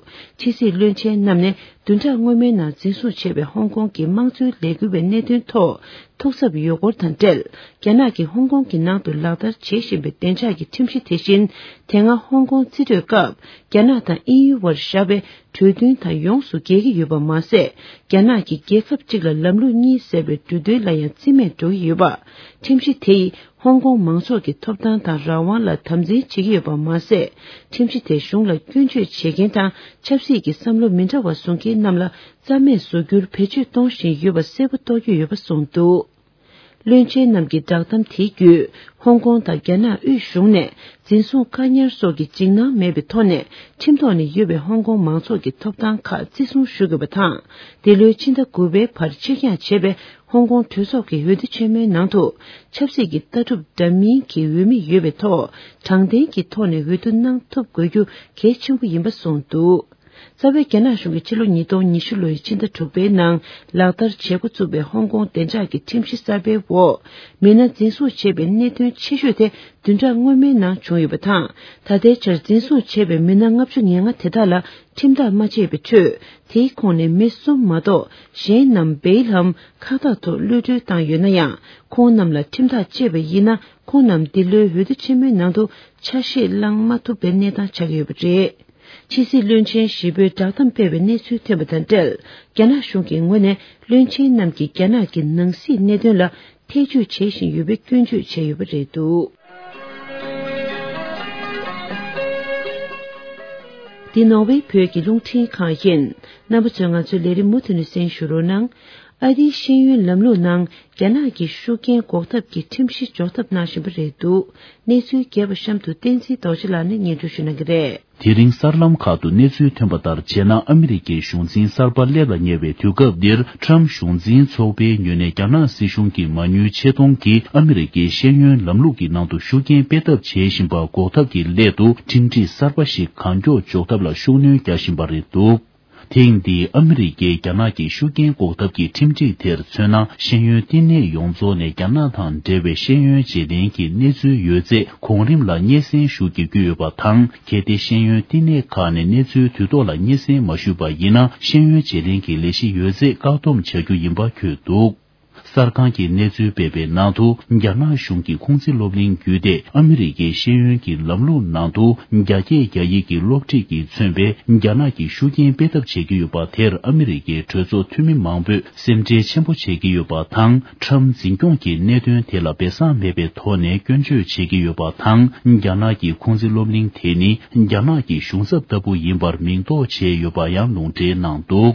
ཕྱི་སྲིད་བློན་ཆེན་རྣམས་ནས་བདུན་ཕྲག་སྔོན་མའི་ནང་འཛིན་བཟུང་བྱས་པའི་ཧོང་ཀོང་གི་དམངས་གཙོའི་ལས་འགུལ་བའི་གནད་དོན་ཐོག་ཐུགས་འཚབ་ཡོད་སྐོར་དང་འབྲེལ། རྒྱ་ནག་གིས་ཧོང་ཀོང་གི་ནང་དུ་ལག་བསྟར་བྱེད་བཞིན་པའི་བདེ་འཇགས་ཀྱི་ཁྲིམས་གཞི་དེ་བཞིན། དེ་སྔ་ཧོང་ཀོང་རྩིས་སྤྲོད་སྐབས། རྒྱ་ནག་དང་དབྱིན་ཡུལ་བར་བཞག་པའི་གྲོས་མཐུན་དང་ཡོངས་སུ་འགལ་གྱི་ཡོད་པ་མ་ཟད། རྒྱ་ནག་གིས་རྒྱལ་ཁབ་གཅིག་ལ་ལམ་ལུགས་གཉིས་ཟེར་བའི་འབྲུ་དོན་ལ་ཡང་རྩིས་མེད་འགྲོ་གི་ཡོད་པ། ཁྲིམས་གཞི་དེ་ཡིས་ཧོང་ཀོང་མང་ཚོགས་ཀྱི་ཐོབ་ཐང་དང་རང་དབང་ལ་དམ་འཛིན་བྱེད་ཀྱི་ཡོད་པ་མ་ཟད། ཁྲིམས་གཞི་དེ་གཞུང་ལ་སྐྱོན་བརྗོད་བྱེད་མཁན་དང་ཆབ་སྲིད་ཀྱི་བསམ་བློ་མི་འདྲ་བ་བཟུང་མཁན་རྣམས་ལ་རྩ་མེད་བཟོ་རྒྱུར་བེད་སྤྱོད་གཏོང་བཞིན་ཡོད་པ་གསལ་པོ་རྟོགས་ཀྱི་ཡོད་པ་གསུངས་འདུག་བློན་ཆེན་རྣམས་ཀྱི་བསྒྲགས་གཏམ་དེའི་བརྒྱུད། ཧོང་ཀོང་དང་རྒྱ་ནག་དབུས་གཞུང་ནས་འཛིན་བཟུང་བཀག་ཉར་སོགས་ཀྱི་འཇིགས་སྣང་མེད་པའི་ཐོག་ནས། ཁྲིམས་ཐོག་ནས་ཡོད་པའི་ཧོང་ཀོང་མང་ཚོགས་ཀྱི་ཐོབ་ཐང་ཁག་བརྩི་སྲུང་ཞུ་དགོས་པ་དང་། འདི་ལོའི་ཕྱི་ཟླ་དགུ་པའི་བར་ཕྱིར་འགྱངས་བྱས་པའི་ཧོང་ཀོང་གྲོས་ཚོགས་ཀྱི་འོས་བསྡུ་ཆེན་མོའི་ནང་དུ། ཆབ་སྲིད་ཀྱི་ལྟ་གྲུབ་འདྲ་མིན་གྱི་འོས་མི་ཡོད་པའི་ཐོག་དྲང་བདེན་གྱི་ཐོག་ནས་འོས་བསྡུ་གནང་ཐུབ་དགོས་རྒྱུ་གལ་ཆེན་པོ་ཡིན་པ་གསུངས་འདུག་རྩ་བའི་རྒྱ་ནག་གཞུང་གིས་ཕྱི་ལོ་ཉིས་སྟོང་ཉི་ཤུ་ལོའི་ཕྱི་ཟླ་དྲུག་པའི་ནང་ལག་བསྟར་བྱེད་འགོ་བཙུགས་པའི་ཧོང་ཀོང་བདེ་འཇགས་ཀྱི་ཁྲིམས་གཞི་གསར་པའི་འོག་མི་སྣ་འཛིན་བཟུང་བྱས་པའི་གནད་དོན་ཆེ་ཤོས་དེ་བདུན་ཕྲག་སྔོན་མའི་ནང་བྱུང་ཡོད་པ་དང་། ད་ལྟའི་ཆར་འཛིན་བཟུང་བྱས་པའི་མི་སྣ་ལྔ་བཅུ་ང་ལྔ་དེ་དག་ལ་ཁྲིམས་ཐག་མ་བཅད་པའི་ཁྲོད། དེའི་ཁོངས་ནས་མི་གསུམ་མ་གཏོགས་གཞན་རྣམས་བེལ་ལམ་ཁག་ཐེག་ཐོག་གློད་གྲོལ་བཏང་ཡོད་ན་ཡང་། ཁོང་རྣམས་ལ་ཁྲིམས་ཐག་བཅད་པ་ཡིན་ན། ཁོང་རྣམས་འདི་ལོའི་འོས་བསྡུ་ཆེན་མོའི་ནང་དུ་ཆ་ཤས་བླང་མ་ཐུབ་པའི་གནས་སྟངས་ཆགས་ཀྱི་ཡོད་པ་རེད། ཕྱི་སྲིད་བློན་ཆེན་བཞི་པོས་བསྒྲགས་གཏམ་སྤེལ་བའི་གནས་ཚུལ་ཐོན་པ་དང་འབྲེལ། རྒྱ་ནག་གཞུང་གི་ངོས་ནས་བློན་ཆེན་རྣམས་ཀྱིས་རྒྱ་ནག་གི་ནང་སྲིད་གནད་དོན་ལ་ཐེ་བྱུས་བྱེད་བཞིན་ཡོད་པའི་སྐྱོན་བརྗོད་བྱས་ཡོད་པ་རེད་འདུག་འདི་ནོར་ཝེ་བོད་ཀྱི་རླུང་འཕྲིན་ཁང་ཡིན། རྣམ་པ་ཚོས་ང་ཚོའི་ལས་རིམ་མུ་མཐུད་ནས་གསན་ཞུ་རོགས་གནང་། ཨ་རིའི་ཤེས་ཡོན་ལམ་ལུགས་ནང་རྒྱ་ནག་གི་ཤུགས་རྐྱེན་འགོག་ཐབས་ཀྱི་ཁྲིམས་གཞི་འཇོག་ཐབས་གནང་བཞིན་པ་རེད་འདུག་གནས་ཚུལ་རྒྱས་པ་གཤམ་དུ་བསྟན་འཛིན་རྡོ་རྗེ་ལགས་ནས་སྙན་སྒྲོན་ཞུ་གནང་གི་རེད། དེ་རིང་གསར་ལམ་ཁག་ཏུ་གནས་ཚུལ་ཐོན་པ་ལྟར་བྱས་ན། ཨ་མི་རི་ཀའི་གཞུང་འཛིན་གསར་པ་སླེབས་ལ་ཉེ་བའི་དུས་སྐབས་འདིར། ཁྲམ་གཞུང་འཛིན་ཚོགས་པའི་ངོས་ནས་རྒྱ་ནག་སྲིད་གཞུང་གི་མ་དངུལ་ཆེད་གཏོང་གིས་ཨ་མི་རི་ཀའི་ཤེས་ཡོན་ལམ་ལུགས་ཀྱི་ནང་དུ་ཤུགས་རྐྱེན་སྤེལ་ཐབས་བྱེད་བཞིན་པ་འགོག་ཐབས་ཀྱི་སླད་དུ། ཁྲིམས་སྒྲིག་གསར་པ་ཞིག་གང་མགྱོགས་འཇོག་ཐབས་ལ་ཤུགས་སྣོན་རྒྱག་བཞིན་པ་རེད་འདུག་ཐེངས་འདིའི་ཨ་མི་རི་ཀས་རྒྱ་ནག་གི་ཤུགས་རྐྱེན་འགོག་ཐབས་ཀྱི་ཁྲིམས་སྒྲིག་དེར་མཚོན་ན། ཤེས་ཡོན་བསྟི་གནས་ཡོངས་རྫོགས་ནས་རྒྱ་ནག་དང་འབྲེལ་བའི་ཤེས་ཡོན་བརྗེ་ལེན་གྱི་གནས་ཚུལ་ཡོད་ཚད་གོང་རིམ་ལ་སྙན་སེང་ཞུ་བགྱིད་ཀྱི་ཡོད་པ་དང་། གལ་ཏེ་ཤེས་ཡོན་བསྟི་གནས་ཁག་ནས་གནས་ཚུལ་དུས་ཐོག་ལ་སྙན་སེང་མ་ཞུས་པ་ཡིན་ན། ཤེས་ཡོན་བརྗེ་ལེན་གྱི་ལས་གཞི་ཡོད་ཚད་བཀག་སྡོམ་བྱ་རྒྱུ་ཡིན་པ་འཁོད་འདུག་གསར་ཁང་གིས་གནས་ཚུལ་སྤེལ་བའི་ནང་དུ། རྒྱ་ནག་གཞུང་གི་ཁུང་ཙི་སློབ་གླིང་བརྒྱུད་དེ་ཨ་མི་རི་ཀའི་ཤེས་ཡོན་གྱི་ལམ་ལུགས་ནང་དུ། རྒྱ་སྐད་རྒྱ་ཡིག་གི་སློབ་ཁྲིད་ཀྱིས་མཚོན་པའི་རྒྱ་ནག་གི་ཤུགས་རྐྱེན་སྤེལ་ཐབས་བྱེད་ཀྱི་ཡོད་པ་དེར། ཨ་མི་རི་ཀའི་གྲོས་ཚོགས་འཐུས་མི་མང་པོས་སེམས་ཁྲལ་ཆེན་པོ་བྱེད་ཀྱི་ཡོད་པ་དང་། ཁྲམ་འཛིན་སྐྱོང་གི་གནད་དོན་དེ་ལ་སྦས་གསང་མེད་པའི་ཐོག་ནས་སྐྱོན་བརྗོད་བྱེད་ཀྱི་ཡོད་པ་དང་། རྒྱ་ནག་གི་ཁུང་ཙི་སློབ་གླིང་དེ་ནི་རྒྱ་ནག་གི་གཞུང་ཚབ་ལྟ་བུ་ཡིན་པར་མིང་འདོགས་བྱས་ཡོད་པ་ཡང་ལུང་འདྲེན་གནང་འདུག་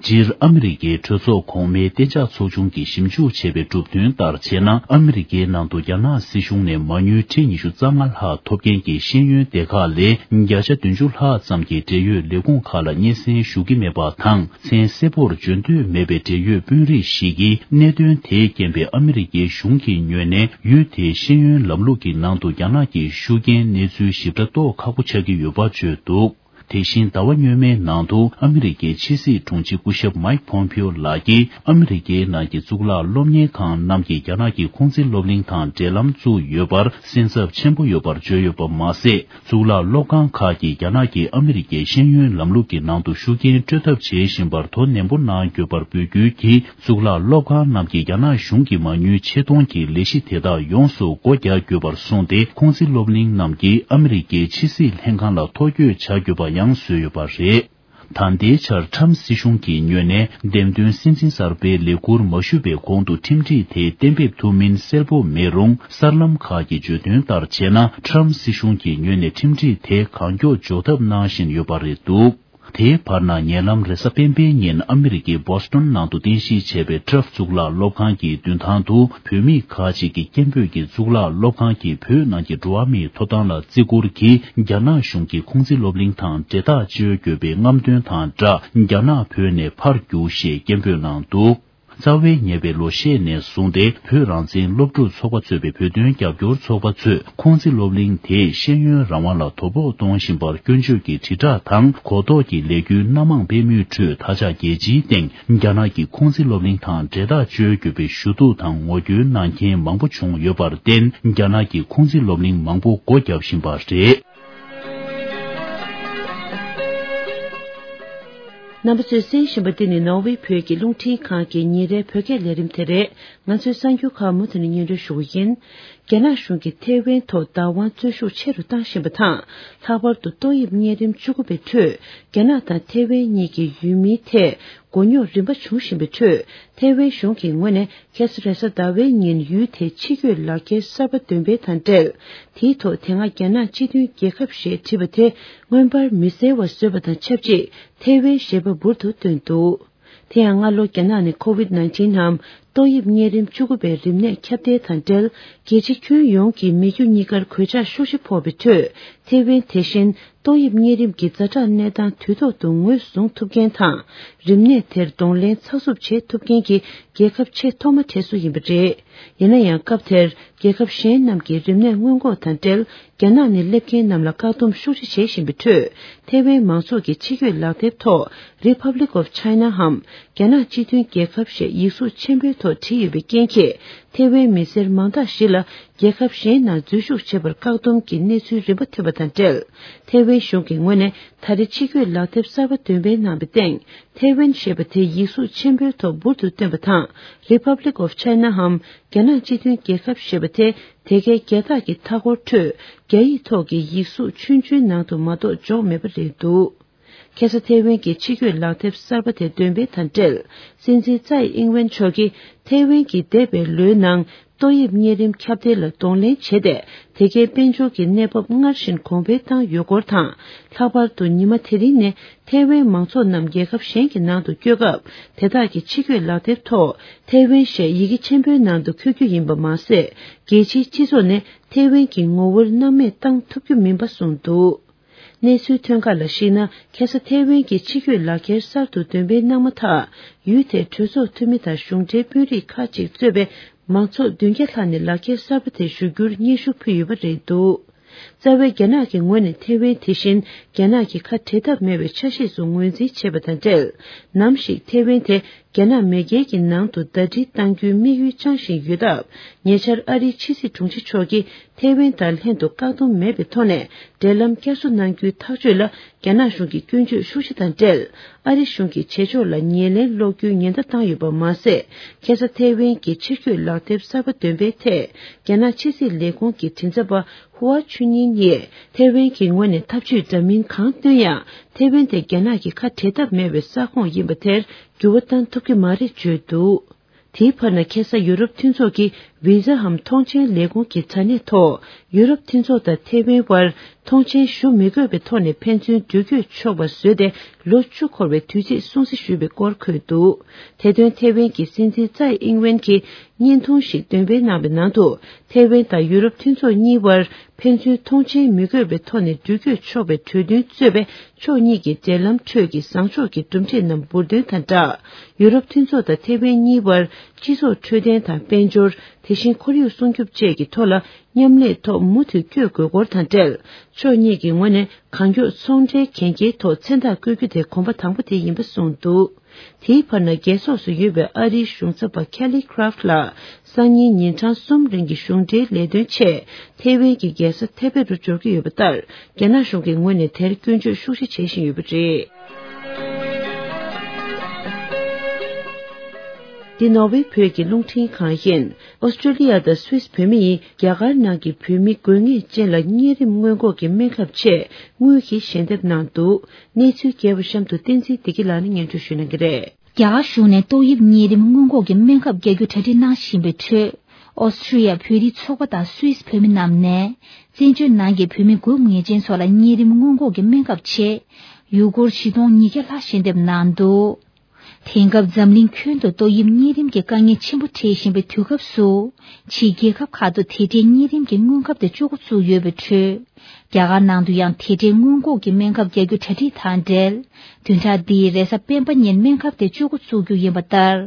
སྤྱིར་ཨ་མི་རི་ཀའི་གྲོས་ཚོགས་གོང་མའི་གཏན་འཇགས་ཚོགས་ཆུང་གིས་ཞིབ་འཇུག་བྱས་པའི་གྲུབ་དོན་ལྟར་བྱས་ན། ཨ་མི་རི་ཀའི་ནང་དུ་རྒྱ་ནག་སྲིད་གཞུང་ནས་མ་དངུལ་ཁྲི་ཉི་ཤུ་རྩ་ལྔ་ལྷག་ཐོབ་མཁན་གྱི་ཤེས་ཡོན་སྡེ་ཁག་ལས་བརྒྱ་ཆ་བདུན་ཅུ་ལྷག་ཙམ་གྱིས་འབྲེལ་ཡོད་ལས་ཁུངས་ཁག་ལ་སྙན་སེང་ཞུ་གི་མེད་པ་དང་། མཚན་གསལ་པོར་བརྗོད་འདོད་མེད་པའི་འབྲེལ་ཡོད་དཔོན་རིགས་ཤིག་གིས། གནད་དོན་དེའི་རྐྱེན་པས་ཨ་མི་རི་ཀའི་གཞུང་གི་ངོས་ནས་ཡུལ་དེའི་ཤེས་ཡོན་ལམ་ལུགས་ཀྱི་ནང་དུ་རྒྱ་ནག་གི་ཤུགས་རྐྱེན་གནས་ཚུལ་ཞིབ་ཕྲ་རྟོགས་ཁག་པོ་ཆགས་ཀྱི་ཡོད་པ་བརྗོད་འདུག། དེ་བཞིན་ཟླ་བ་སྔོན་མའི་ནང་དུ་ཨ་མི་རི་ཀའི་ཕྱི་སྲིད་དྲུང་ཆེ་སྐུ་ཞབས་མཱིག་ཕོམ་ཕིའོ་ལགས་ཀྱིས། ཨ་མི་རི་ཀའི་ནང་གི་གཙུག་ལག་སློབ་གཉེར་ཁང་རྣམས་ཀྱིས་རྒྱ་ནག་གི་ཁུང་ཙི་སློབ་གླིང་དང་འབྲེལ་ལམ་བཙུགས་ཡོད་པར་སེམས་འཚབ་ཆེན་པོ་ཡོད་པར་བརྗོད་ཡོད་པ་མ་ཟད། གཙུག་ལག་སློབ་ཁང་ཁག་གིས་རྒྱ་ནག་གིས་ཨ་མི་རི་ཀའི་ཤེས་ཡོན་ལམ་ལུགས་ཀྱི་ནང་དུ་ཤུགས་རྐྱེན་སྤྲོད་ཐབས་བྱེད་བཞིན་པར་དོ་ནན་པོ་གནང་དགོས་པར་འབོད་སྐུལ་གྱིས། གཙུག་ལག་སློབ་ཁང་རྣམས་ཀྱིས་རྒྱ་ནག་གཞུང་གི་མ་དངུལ་ཆེད་གཏོང་གི་ལས་གཞི་དེ་དག་ཡོངས་སུ་སྒོ་རྒྱག་དགོས་པར་གསུངས་ཏེ། ཁུང་ཙི་སློབ་གླིང་རྣམས་ཀྱིས་ཨ་མི་རི་ཀའི་ཕྱི་སྲིད་ལྷན་ཁང་ལ་ཐོ་འགོད་བྱ་དགོས་པ་ཡང་བཟོས་ཡོད་པ་རེད། ད་ལྟའི་ཆར་ཁྲམ་སྲིད་གཞུང་གི་ངོས་ནས་འདེམས་ཐོན་སྲིད་འཛིན་གསར་པའི་ལས་འཁུར་མ་ཞུས་པའི་གོང་དུ་ཁྲིམས་སྒྲིག་དེ་གཏན་འབེབས་ཐུབ་མིན་གསལ་པོ་མེད་རུང་། གསར་ལམ་ཁག་གིས་བརྗོད་དོན་ལྟར་བྱས་ན། ཁྲམ་སྲིད་གཞུང་གི་ངོས་ནས་ཁྲིམས་སྒྲིག་དེ་གང་མགྱོགས་འཇོག་ཐབས་གནང་བཞིན་ཡོད་པ་རེད་འདུག། དེའི་བར་ན། ཉེ་ལམ་རེས་གཟའ་སྤེན་པའི་ཉིན་ཨ་མི་རི་ཀའི་བོ་སི་ཊོན་ནང་དུ་རྟེན་གཞི་བྱས་པའི་ཊཱཕ་གཙུག་ལག་སློབ་ཁང་གི་མདུན་ཐང་དུ། བོད་མི་ཁག་ཅིག་གིས་སྐད་འབོད་ཀྱིས་གཙུག་ལག་སློབ་ཁང་གིས་བོད་ནང་གི་འགྲོ་བ་མིའི་ཐོབ་ཐང་ལ་བརྩི་བཀུར་གྱིས། རྒྱ་ནག་གཞུང་གི་ཁུང་ཙི་སློབ་གླིང་དང་འབྲེལ་ཐག་གཅོད་དགོས་པའི་རྔམ་སྟོན་དང་སྦྲགས། རྒྱ་ནག་བོད་ནས་ཕར་རྒྱུགས་ཞེས་སྐད་འབོད་གནང་འདུག། རྩ་བའི་ཉེ་བའི་ལོ་ཤས་ནས་བཟུང་སྟེ། བོད་རང་བཙན་སློབ་ཕྲུག་ཚོགས་པ་གཙོས་པའི་བོད་དོན་རྒྱབ་སྐྱོར་ཚོགས་པ་ཚོས། ཁུང་ཙི་སློབ་གླིང་དེས་ཤེས་ཡོན་རང་དབང་ལ་དོ་ཕོག་གཏོང་བཞིན་པར་སྐྱོན་བརྗོད་ཀྱི་དྲིལ་བསྒྲགས་དང་། གོ་རྟོགས་ཀྱི་ལས་འགུལ་སྣ་མང་སྤེལ་མུས་ཁྲོད། ད་ཆ་རྒྱལ་སྤྱིའི་སྟེང་རྒྱ་ནག་གི་ཁུང་ཙི་སློབ་གླིང་དང་འབྲེལ་ཐག་གཅོད་དགོས་པའི་ཞུ་གཏུག་དང་ངོ་རྒོལ་གནང་མཁན་མང་པོ་བྱུང་ཡོད་པར་བརྟེན། རྒྱ་ནག་གི་ཁུང་ཙི་སློབ་གླིང་མང་པོ་སྒོ་བརྒྱབ་བཞིན་པ་རེད། རྣམ་པ་ཚོས་གསན་བཞིན་པ་འདི་ནི་ནོར་ཝེ་བོད་ཀྱི་རླུང་འཕྲིན་ཁང་གི་ཉིན་རེའི་བོད་སྐད་ལས་རིམ་དེ་རེད། ང་ཚོའི་གསར་འགྱུར་ཁག་མུ་མཐུད་ནས་སྙན་སྒྲོན་ཞུ་གི་ཡིན། རྒྱ་ནག་གཞུང་གིས་ཐེ་ཝན་ཐོག་བདག་དབང་རྩོད་ཤུགས་ཆེ་རུ་བཏང་བཞིན་པ་དང་། ལྷག་པར་དུ་ཏོག་དབྱིབས་གཉན་རིམས་བཅུ་དགུ་པའི་ཁྲོད་རྒྱ་ནག་དང་ཐེ་ཝན་གཉིས་ཀྱི་ཡུལ་མིའི་ཐད་མགོ་རྙོག་རིམ་པ་བྱུང་བཞིན་པའི་ཁྲོད། ཐེ་ཝན་གཞུང་གི་ངོས་ནས་ཁ་སང་རེས་གཟའ་ཟླ་བའི་ཉིན་ཡུལ་དེའི་ཕྱི་སྐྱོད་ལག་འཁྱེར་གསར་པ་འདོན་སྤེལ་དང་འབྲེལ། དེའི་ཐོག་དེ་སྔ་རྒྱ་ནག་སྤྱི་མཐུན་རྒྱལ་ཁབ་ཞེས་བྲིས་པ་དེ་མངོན་པར་མི་གསལ་བ་བཟོས་པ་དང་ཆབས་ཅིག་ཐེ་ཝན་ཞེས་པ་འབུར་དུ་བཏོན་འདུག། དེ་ཡང་སྔ་ལོ་རྒྱ་ནག་ནས་ཀོ་ཝིད་ནའིན་ཊིན་ནམ་ཏོག་དབྱིབས་གཉན་རིམས་བཅུ་དགུ་པའི་རིམས་ནད་ཁྱབ་གདལ་དང་འབྲེལ། རྒྱལ་སྤྱི་ཁྱོན་ཡོངས་ཀྱི་མི་རྒྱུ་གཉིས་ཀར་གོད་ཆག་ཤུགས་ཆེ་ཕོག་པའི་ཁྲོད། ཐེ་ཝན་དེ་བཞིན་ཏོག་དབྱིབས་གཉན་རིམས་ཀྱི་ཛ་དྲག་གནས་སྟངས་དུས་ཐོག་ཏུ་ངོས་བཟུང་ཐུབ་མཁན་དང་། རིམས་ནད་དེར་གདོང་ལེན་ཚགས་ཚུད་བྱེད་ཐུབ་མཁན་གྱི་རྒྱལ་ཁབ་ཆེས་ཐོག་མ་གྲས་སུ་ཡིན་པ་རེད། ཡིན་ན་ཡང་སྐབས་དེར་རྒྱལ་ཁབ་གཞན་རྣམས་ཀྱིས་རིམས་ནད་སྔོན་འགོག་དང་འབྲེལ། རྒྱ་ནག་ནས་སླེབས་མཁན་རྣམས་ལ་བཀག་སྡོམ་ཤུགས་ཆེ་བྱེད་བཞིན་པའི་ཁྲོད། ཐེ་ཝན་མང་ཚོགས་ཀྱི་ཕྱི་སྐྱོད་ལག་དེབ་ཐོག་Republic of China འམ་རྒྱ་ནག་སྤྱི་མཐུན་རྒྱལ་ཁབ་ཞེས་ཡིག་གཟུགས་ཆེན་པོའི་ཐོག་བྲིས་ཡོད་པའི་རྐྱེན་གྱིས། ཐེ་ཝན་མི་སེར་མང་དག་ཞིག་ལ་རྒྱལ་ཁབ་གཞན་ནང་འཛུལ་ཞུགས་བྱེད་པར་བཀག་སྡོམ་གྱི་གནས་ཚུལ་རིམ་པ་ཐོན་པ་དང་འབྲེལ། ཐེ་ཝན་གཞུང་གི་ངོས་ནས་ད་རེས་ཕྱི་སྐྱོད་ལག་དེབ་གསར་པ་འདོན་སྤེལ་གནང་བའི་སྟེང་། ཐེ་ཝན་ཞེས་པ་དེ་ཡིག་གཟུགས་ཆེན་པོའི་ཐོག་འབུར་དུ་བཏོན་པ་དང་། Republic of China འམ་རྒྱ་ནག་སྤྱི་མཐུན་རྒྱལ་ཁབ་ཞེས་པ་དེ་དེ་གའི་རྒྱལ་རྟགས་ཀྱི་མཐའ་འཁོར་ཁྲོད་རྒྱ་ཡིག་ཐོག་གི་ཡིག་གཟུགས་ཆུང་ཆུང་ནང་དུ་མ་གཏོགས་འཇོག་མེད་པ་རེད་འདུག། ཁ་སང་ཐེ་ཝན་གྱི་ཕྱི་སྐྱོད་ལག་དེབ་གསར་པ་དེ་འདོན་སྤེལ་དང་འབྲེལ། སྲིད་འཛིན་ཙའི་ཨིང་ཝེན་མཆོག་གིས་ཐེ་ཝན་གྱིས་འདས་པའི་ལོའི་ནང་ཏོག་དབྱིབས་གཉན་རིམས་ཁྱབ་གདལ་ལ་གདོང་ལེན་བྱས་ཏེ། དེ་གའི་དཔལ་འབྱོར་གྱི་གནས་བབ་སྔར་བཞིན་གོང་འཕེལ་བཏང་ཡོད་སྐོར་དང་། ལྷག་པར་དུ་ཉི་མ་དེ་རིང་ནས་ཐེ་ཝན་མང་ཚོགས་རྣམས་རྒྱལ་ཁབ་གཞན་གྱི་ནང་དུ་བསྐྱོད་སྐབས། དེ་དག་གི་ཕྱི་སྐྱོད་ལག་དེབ་ཐོག་ཐེ་ཝན་ཞེས་ཡི་གེ་ཆེན་པོའི་ནང་དུ་འཁོད་རྒྱུ་ཡིན་པ་མ་ཟད། རྒྱལ་སྤྱིའི་སྤྱི་ཚོགས་ནས་ཐེ་ཝན་གྱི་ངོ་བོར་སྣང་མེད་བཏང་ཐུབ་རྒྱུ་མིན་པ་གསུངས་འདུག། གནས་ཚུལ་ཐོན་ཁག་ལ་གཞིགས་ན། ཁ་སང་ཐེ་ཝན་གྱི་ཕྱི་སྐྱོད་ལག་འཁྱེར་གསར་དུ་འདོན་སྤེལ་གནང་མ་ཐག། ཡུལ་དེའི་གྲོས་ཚོགས་འཐུས་མི་དང་གཞུང་འབྲེལ་དཔོན་རིགས་ཁག་ཅིག་གཙོས་པའི་མང་ཚོགས་བདུན་བརྒྱ་ལྷག་ནས་ལག་འཁྱེར་གསར་པ་དེ་ཞུ་རྒྱུར་སྙན་ཞུ་ཕུལ་ཡོད་པ་རེད་འདུག། རྩ་བའི་རྒྱ་ནག་གི་ངོས་ནས་ཐེ་ཝན་དེ་བཞིན་རྒྱ་ནག་གི་ཁ་བྲལ་ཐབས་མེད་པའི་ཆ་ཤས་སུ་ངོས་འཛིན་བྱས་པ་དང་འབྲེལ། ནམ་ཞིག་ཐེ་ཝན་དེ་རྒྱ་ནག་མེས་རྒྱལ་གྱི་ནང་དུ་ཟླ་སྒྲིལ་གཏང་རྒྱུའི་དམིགས་ཡུལ་བཅངས་བཞིན་ཡོད་སྟབས། ཉེ་ཆར་ཨ་རིའི་ཕྱི་སྲིད་དྲུང་ཆེ་མཆོག་གིས་ཐེ་ཝན་དང་ལྷན་དུ་བཀག་སྡོམ་མེད་པའི་ཐོག་ནས་འབྲེལ་ལམ་བསྐྱར་གསོ་གནང་རྒྱུའི་ཐག་གཅོད་ལ། རྒྱ་ནག་གཞུང་གིས་སྐྱོན་བརྗོད་ཤུགས་ཆེ་དང་འབྲེལ། ཨ་རི་གཞུང་གིས་བྱེད་ཕྱོགས་ལ་ཉེར་ལེན་སློག་རྒྱུའི་ཉེན་བརྡ་བཏང་ཡོད་པ་མ་ཟད། ཁ་སང་ཐེ་ཝན་གྱི་ཕྱིར་སྐྱོད་ལག་དེབ་གསར་པ་འདོན་པའི་ཐད། རྒྱ་ནག་ཕྱི་སྲིད་ལས་ཁུངས་ཀྱི་མགྲིན་ཚབ་པ་ཧུའ་ཆུན་ཉིན་ཡིས། ཐེ་ཝན་གྱི་ངོས་ནས་ཐབས་ཇུས་འདྲ་མིན་གང་བཏོན་ཡང་། ཐེ་ཝན་དེ་རྒྱ་ནག་གི་ཁ་བྲལ་ཐབས་མེད་པའི་ས་ཁོངས་ཡིན་པ་དེར་འགྱུར་བ་བཏང་ཐུབ་ཀྱི་མ་རེད་བརྗོད་འདུག། དེའི་བར་ན། ཁ་སང་ཡུ་རོབ་མཐུན་ཚོགས་ཀྱི་ ཝི་ཟ་འམ་ཐོངས་མཆན་ལས་ཁུངས་ཀྱི་དྲ་གནས་ཐོག་ཡུ་རོབ་མཐུན་ཚོགས་དང་ཐེ་ཝན་དབར་ཐོངས་མཆན་ཞུ་མི་དགོས་པའི་ཐོག་ནས་ཕན་ཚུན་འགྲུལ་སྐྱོད་ཆོག་པ་བཟོས་ཏེ། ལོ་བཅུ་འཁོར་བའི་དུས་ཚིགས་སྲུང་བརྩི་ཞུས་པའི་སྐོར་འཁོད་འདུག། དེ་དོན་ཐེ་ཝན་གྱི་སྲིད་འཛིན་ཙའེ་ཨིང་ཝེན་གྱིས་བརྙན་ཐུང་ཞིག་འདོན་སྤེལ་གནང་བའི་ནང་དུ། ཐེ་ཝན་དང་ཡུ་རོབ་མཐུན་ཚོགས་གཉིས་དབར་ཕན་ཚུན་ཐོངས་མཆན་མི་དགོས་པའི་ཐོག་ནས་འགྲུལ་སྐྱོད་ཆོག་པའི་གྲོས་མཐུན་གཙོས་པའི་ཕྱོགས་གཉིས་ཀྱི་འབྲེལ་ལམ་ཁྲོད་ཀྱི་བཟང་ཕྱོགས་ཀྱི་གྲུབ་འབྲས་རྣམས་འབུར་འདོན་དང་སྦྲགས། ཡུ་རོབ་མཐུན་ཚོགས་དང་ཐེ་ཝན་གཉིས་དབར་སྤྱི་ཚོགས་འཕྲོད་བསྟེན་དང་དཔལ་འབྱོར། དེ་བཞིན་ཁོར་ཡུག་སྲུང་སྐྱོབ་བཅས་ཀྱི་ཐོག་ལ་མཉམ་ལས་ཐོག་མུ་མཐུད་བསྐྱོད་དགོས་སྐོར་དང་འབྲེལ། ཕྱོགས་གཉིས་ཀྱི་ངོས་ནས་གང་མགྱོགས་ཚོང་འབྲེལ་གན་རྒྱའི་ཐོག་མཚན་རྟགས་བཀོད་རྒྱུ་དེ་གོམ་པ་དང་པོ་དེ་ཡིན་པ་གསུངས་འདུག། དེའི་བར་ན་རྒྱལ་ཚོགས་སུ་ཡོད་པའི་ཨ་རིའི་གཞུང་ཚབ་པ་ཁེ་ལི་ཁྲ་ཕ་ལགས་སང་ཉིན་ཉིན་གྲངས་གསུམ་རིང་གི་གཞུང་འབྲེལ་ལས་དོན་ཆེད་ཐེ་ཝན་གྱི་རྒྱལ་ས་ཐེ་པེ་རུ་འབྱོར་གྱི་ཡོད་པ་ལྟར། རྒྱ་ནག་གཞུང་གི་ངོས་ནས་དེར་སྐྱོན་བརྗོད་ཤུགས་ཆེ་བྱེད་བཞིན་ཡོད་པ་རེད། འདི་ནོར་ཝེ་བོད་ཀྱི་རླུང་འཕྲིན་ཁང་ཡིན། ཨོ་སི་ཀྲི་ལི་ཡ་དང་སུད་སི་བོད་མི་ཡིས་རྒྱ་གར་ནང་གི་བོད་མི་དགོས་ངེས་ཅན་ལ་གཉན་རིམས་སྔོན་འགོག་གི་སྨན་ཁབ་ཆེད་དངུལ་གྱི་ཞལ་འདེབས་གནང་འདུག། གནས་ཚུལ་རྒྱས་པ་གཤམ་དུ་བསྟན་འཛིན་བདེ་སྐྱིད་ལགས་ནས་སྙན་སྒྲོན་ཞུ་གནང་གི་རེད། རྒྱ་གར་གཞུང་ནས་ཏོག་དབྱིབས་གཉན་རིམས་སྔོན་འགོག་གི་སྨན་ཁབ་རྒྱག་རྒྱུ་གྲ་སྒྲིག་གནང་བཞིན་པའི་ཁྲོད། ཨོ་སི་ཀྲི་ཡ་བོད་རིགས་ཚོགས་པ་དང་སུད་སི་བོད་མི་རྣམས་ནས། བཙན་བྱོལ་ནང་གི་བོད་མི་དགོས་ངེས་ཅན་ཚོ་ལ་གཉན་རིམས་སྔོན་འགོག་གི་སྨན་ཁབ་ཆེད། ཡུ་སྒོར་བཞི་སྟོང་ཉིས་བརྒྱ་ལྷག་ཞལ་འདེབས་གནང་འདུག། དེང་སྐབས་འཛམ་གླིང་ཁྱོན་དུ་ཏོག་དབྱིབས་གཉན་རིམས་ཀྱི་དཀའ་ངལ་ཆེན་པོ་འཕྲད་བཞིན་པའི་དུས་སྐབས་སུ། ཕྱིའི་རྒྱལ་ཁབ་ཁག་ཏུ་དེ་འདྲའི་གཉན་རིམས་ཀྱི་སྔོན་ཁབ་དེ་ཚོ་འགོ་བཙུགས་ཡོད་པའི་ཁྲོད། རྒྱ་གར་ནང་དུ་ཡང་དེ་འདྲའི་སྔོན་འགོག་གི་སྨན་ཁབ་རྒྱག་རྒྱུ་གྲ་སྒྲིག་དང་འབྲེལ། བདུན་ཕྲག་འདིའི་རེས་གཟའ་སྤེན་པ་ཉིན་སྨན་ཁབ་དེ་ཚོ་འགོ་བཙུགས་རྒྱུ་ཡིན་པ་ལྟར།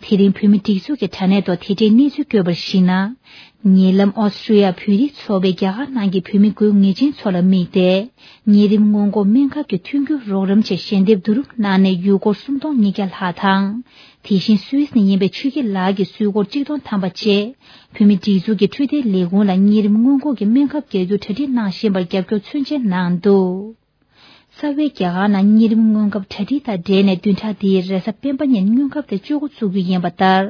དེ་རིང་བོད་མི་སྒྲིག་འཛུགས་ཀྱི་དྲ་གནས་ཐོག་དེ་འདྲའི་གནས་ཚུལ་བཀོད་པར་གཞིགས་ན། ཉེ་ལམ་ཨོ་སི་ཀྲི་ཡ་བོད་རིགས་ཚོགས་པས་རྒྱ་གར་ནང་གི་བོད་མི་དགོས་ངེས་ཅན་ཚོ་ལ་དམིགས་ཏེ། གཉན་རིམས་སྔོན་འགོག་སྨན་ཁབ་ཀྱི་མཐུན་འགྱུར་རོགས་རམ་ཆེད་ཞལ་འདེབས་བསྡུ་རུབ་གནང་ནས་ཡུ་སྒོར་སུམ་སྟོང་ཉིས་བརྒྱ་ལྷག་དང་། དེ་བཞིན་སུད་སི་ནས་ཡིན་པའི་ཆོས་སྐྱིད་ལགས་ཀྱིས་སུད་སྒོར་གཅིག་སྟོང་ཐམ་པ་བཅས། བོད་མི་སྒྲིག་འཛུགས་ཀྱི་འཕྲོད་བསྟེན་ལས་ཁུངས་ལ་གཉན་རིམས་སྔོན་འགོག་གི་སྨན་ཁབ་རྒྱག་རྒྱུ་གྲ་སྒྲིག་གནང་བཞིན་པར་རྒྱབ་སྐྱོར་མཚོན་བྱེད་གནང་འདུག། རྩ་བའི་རྒྱ་གར་ནང་གཉན་རིམས་སྔོན་ཁབ་གྲ་སྒྲིག་དང་འབྲེལ་ནས་བདུན་ཕྲག་འདིའི་རེས་གཟའ་སྤེན་པ་ཉིན་སྔོན་ཁབ་དེ་ཚོ་འགོ་བཙུགས་རྒྱུ་ཡིན་པ་ལྟར།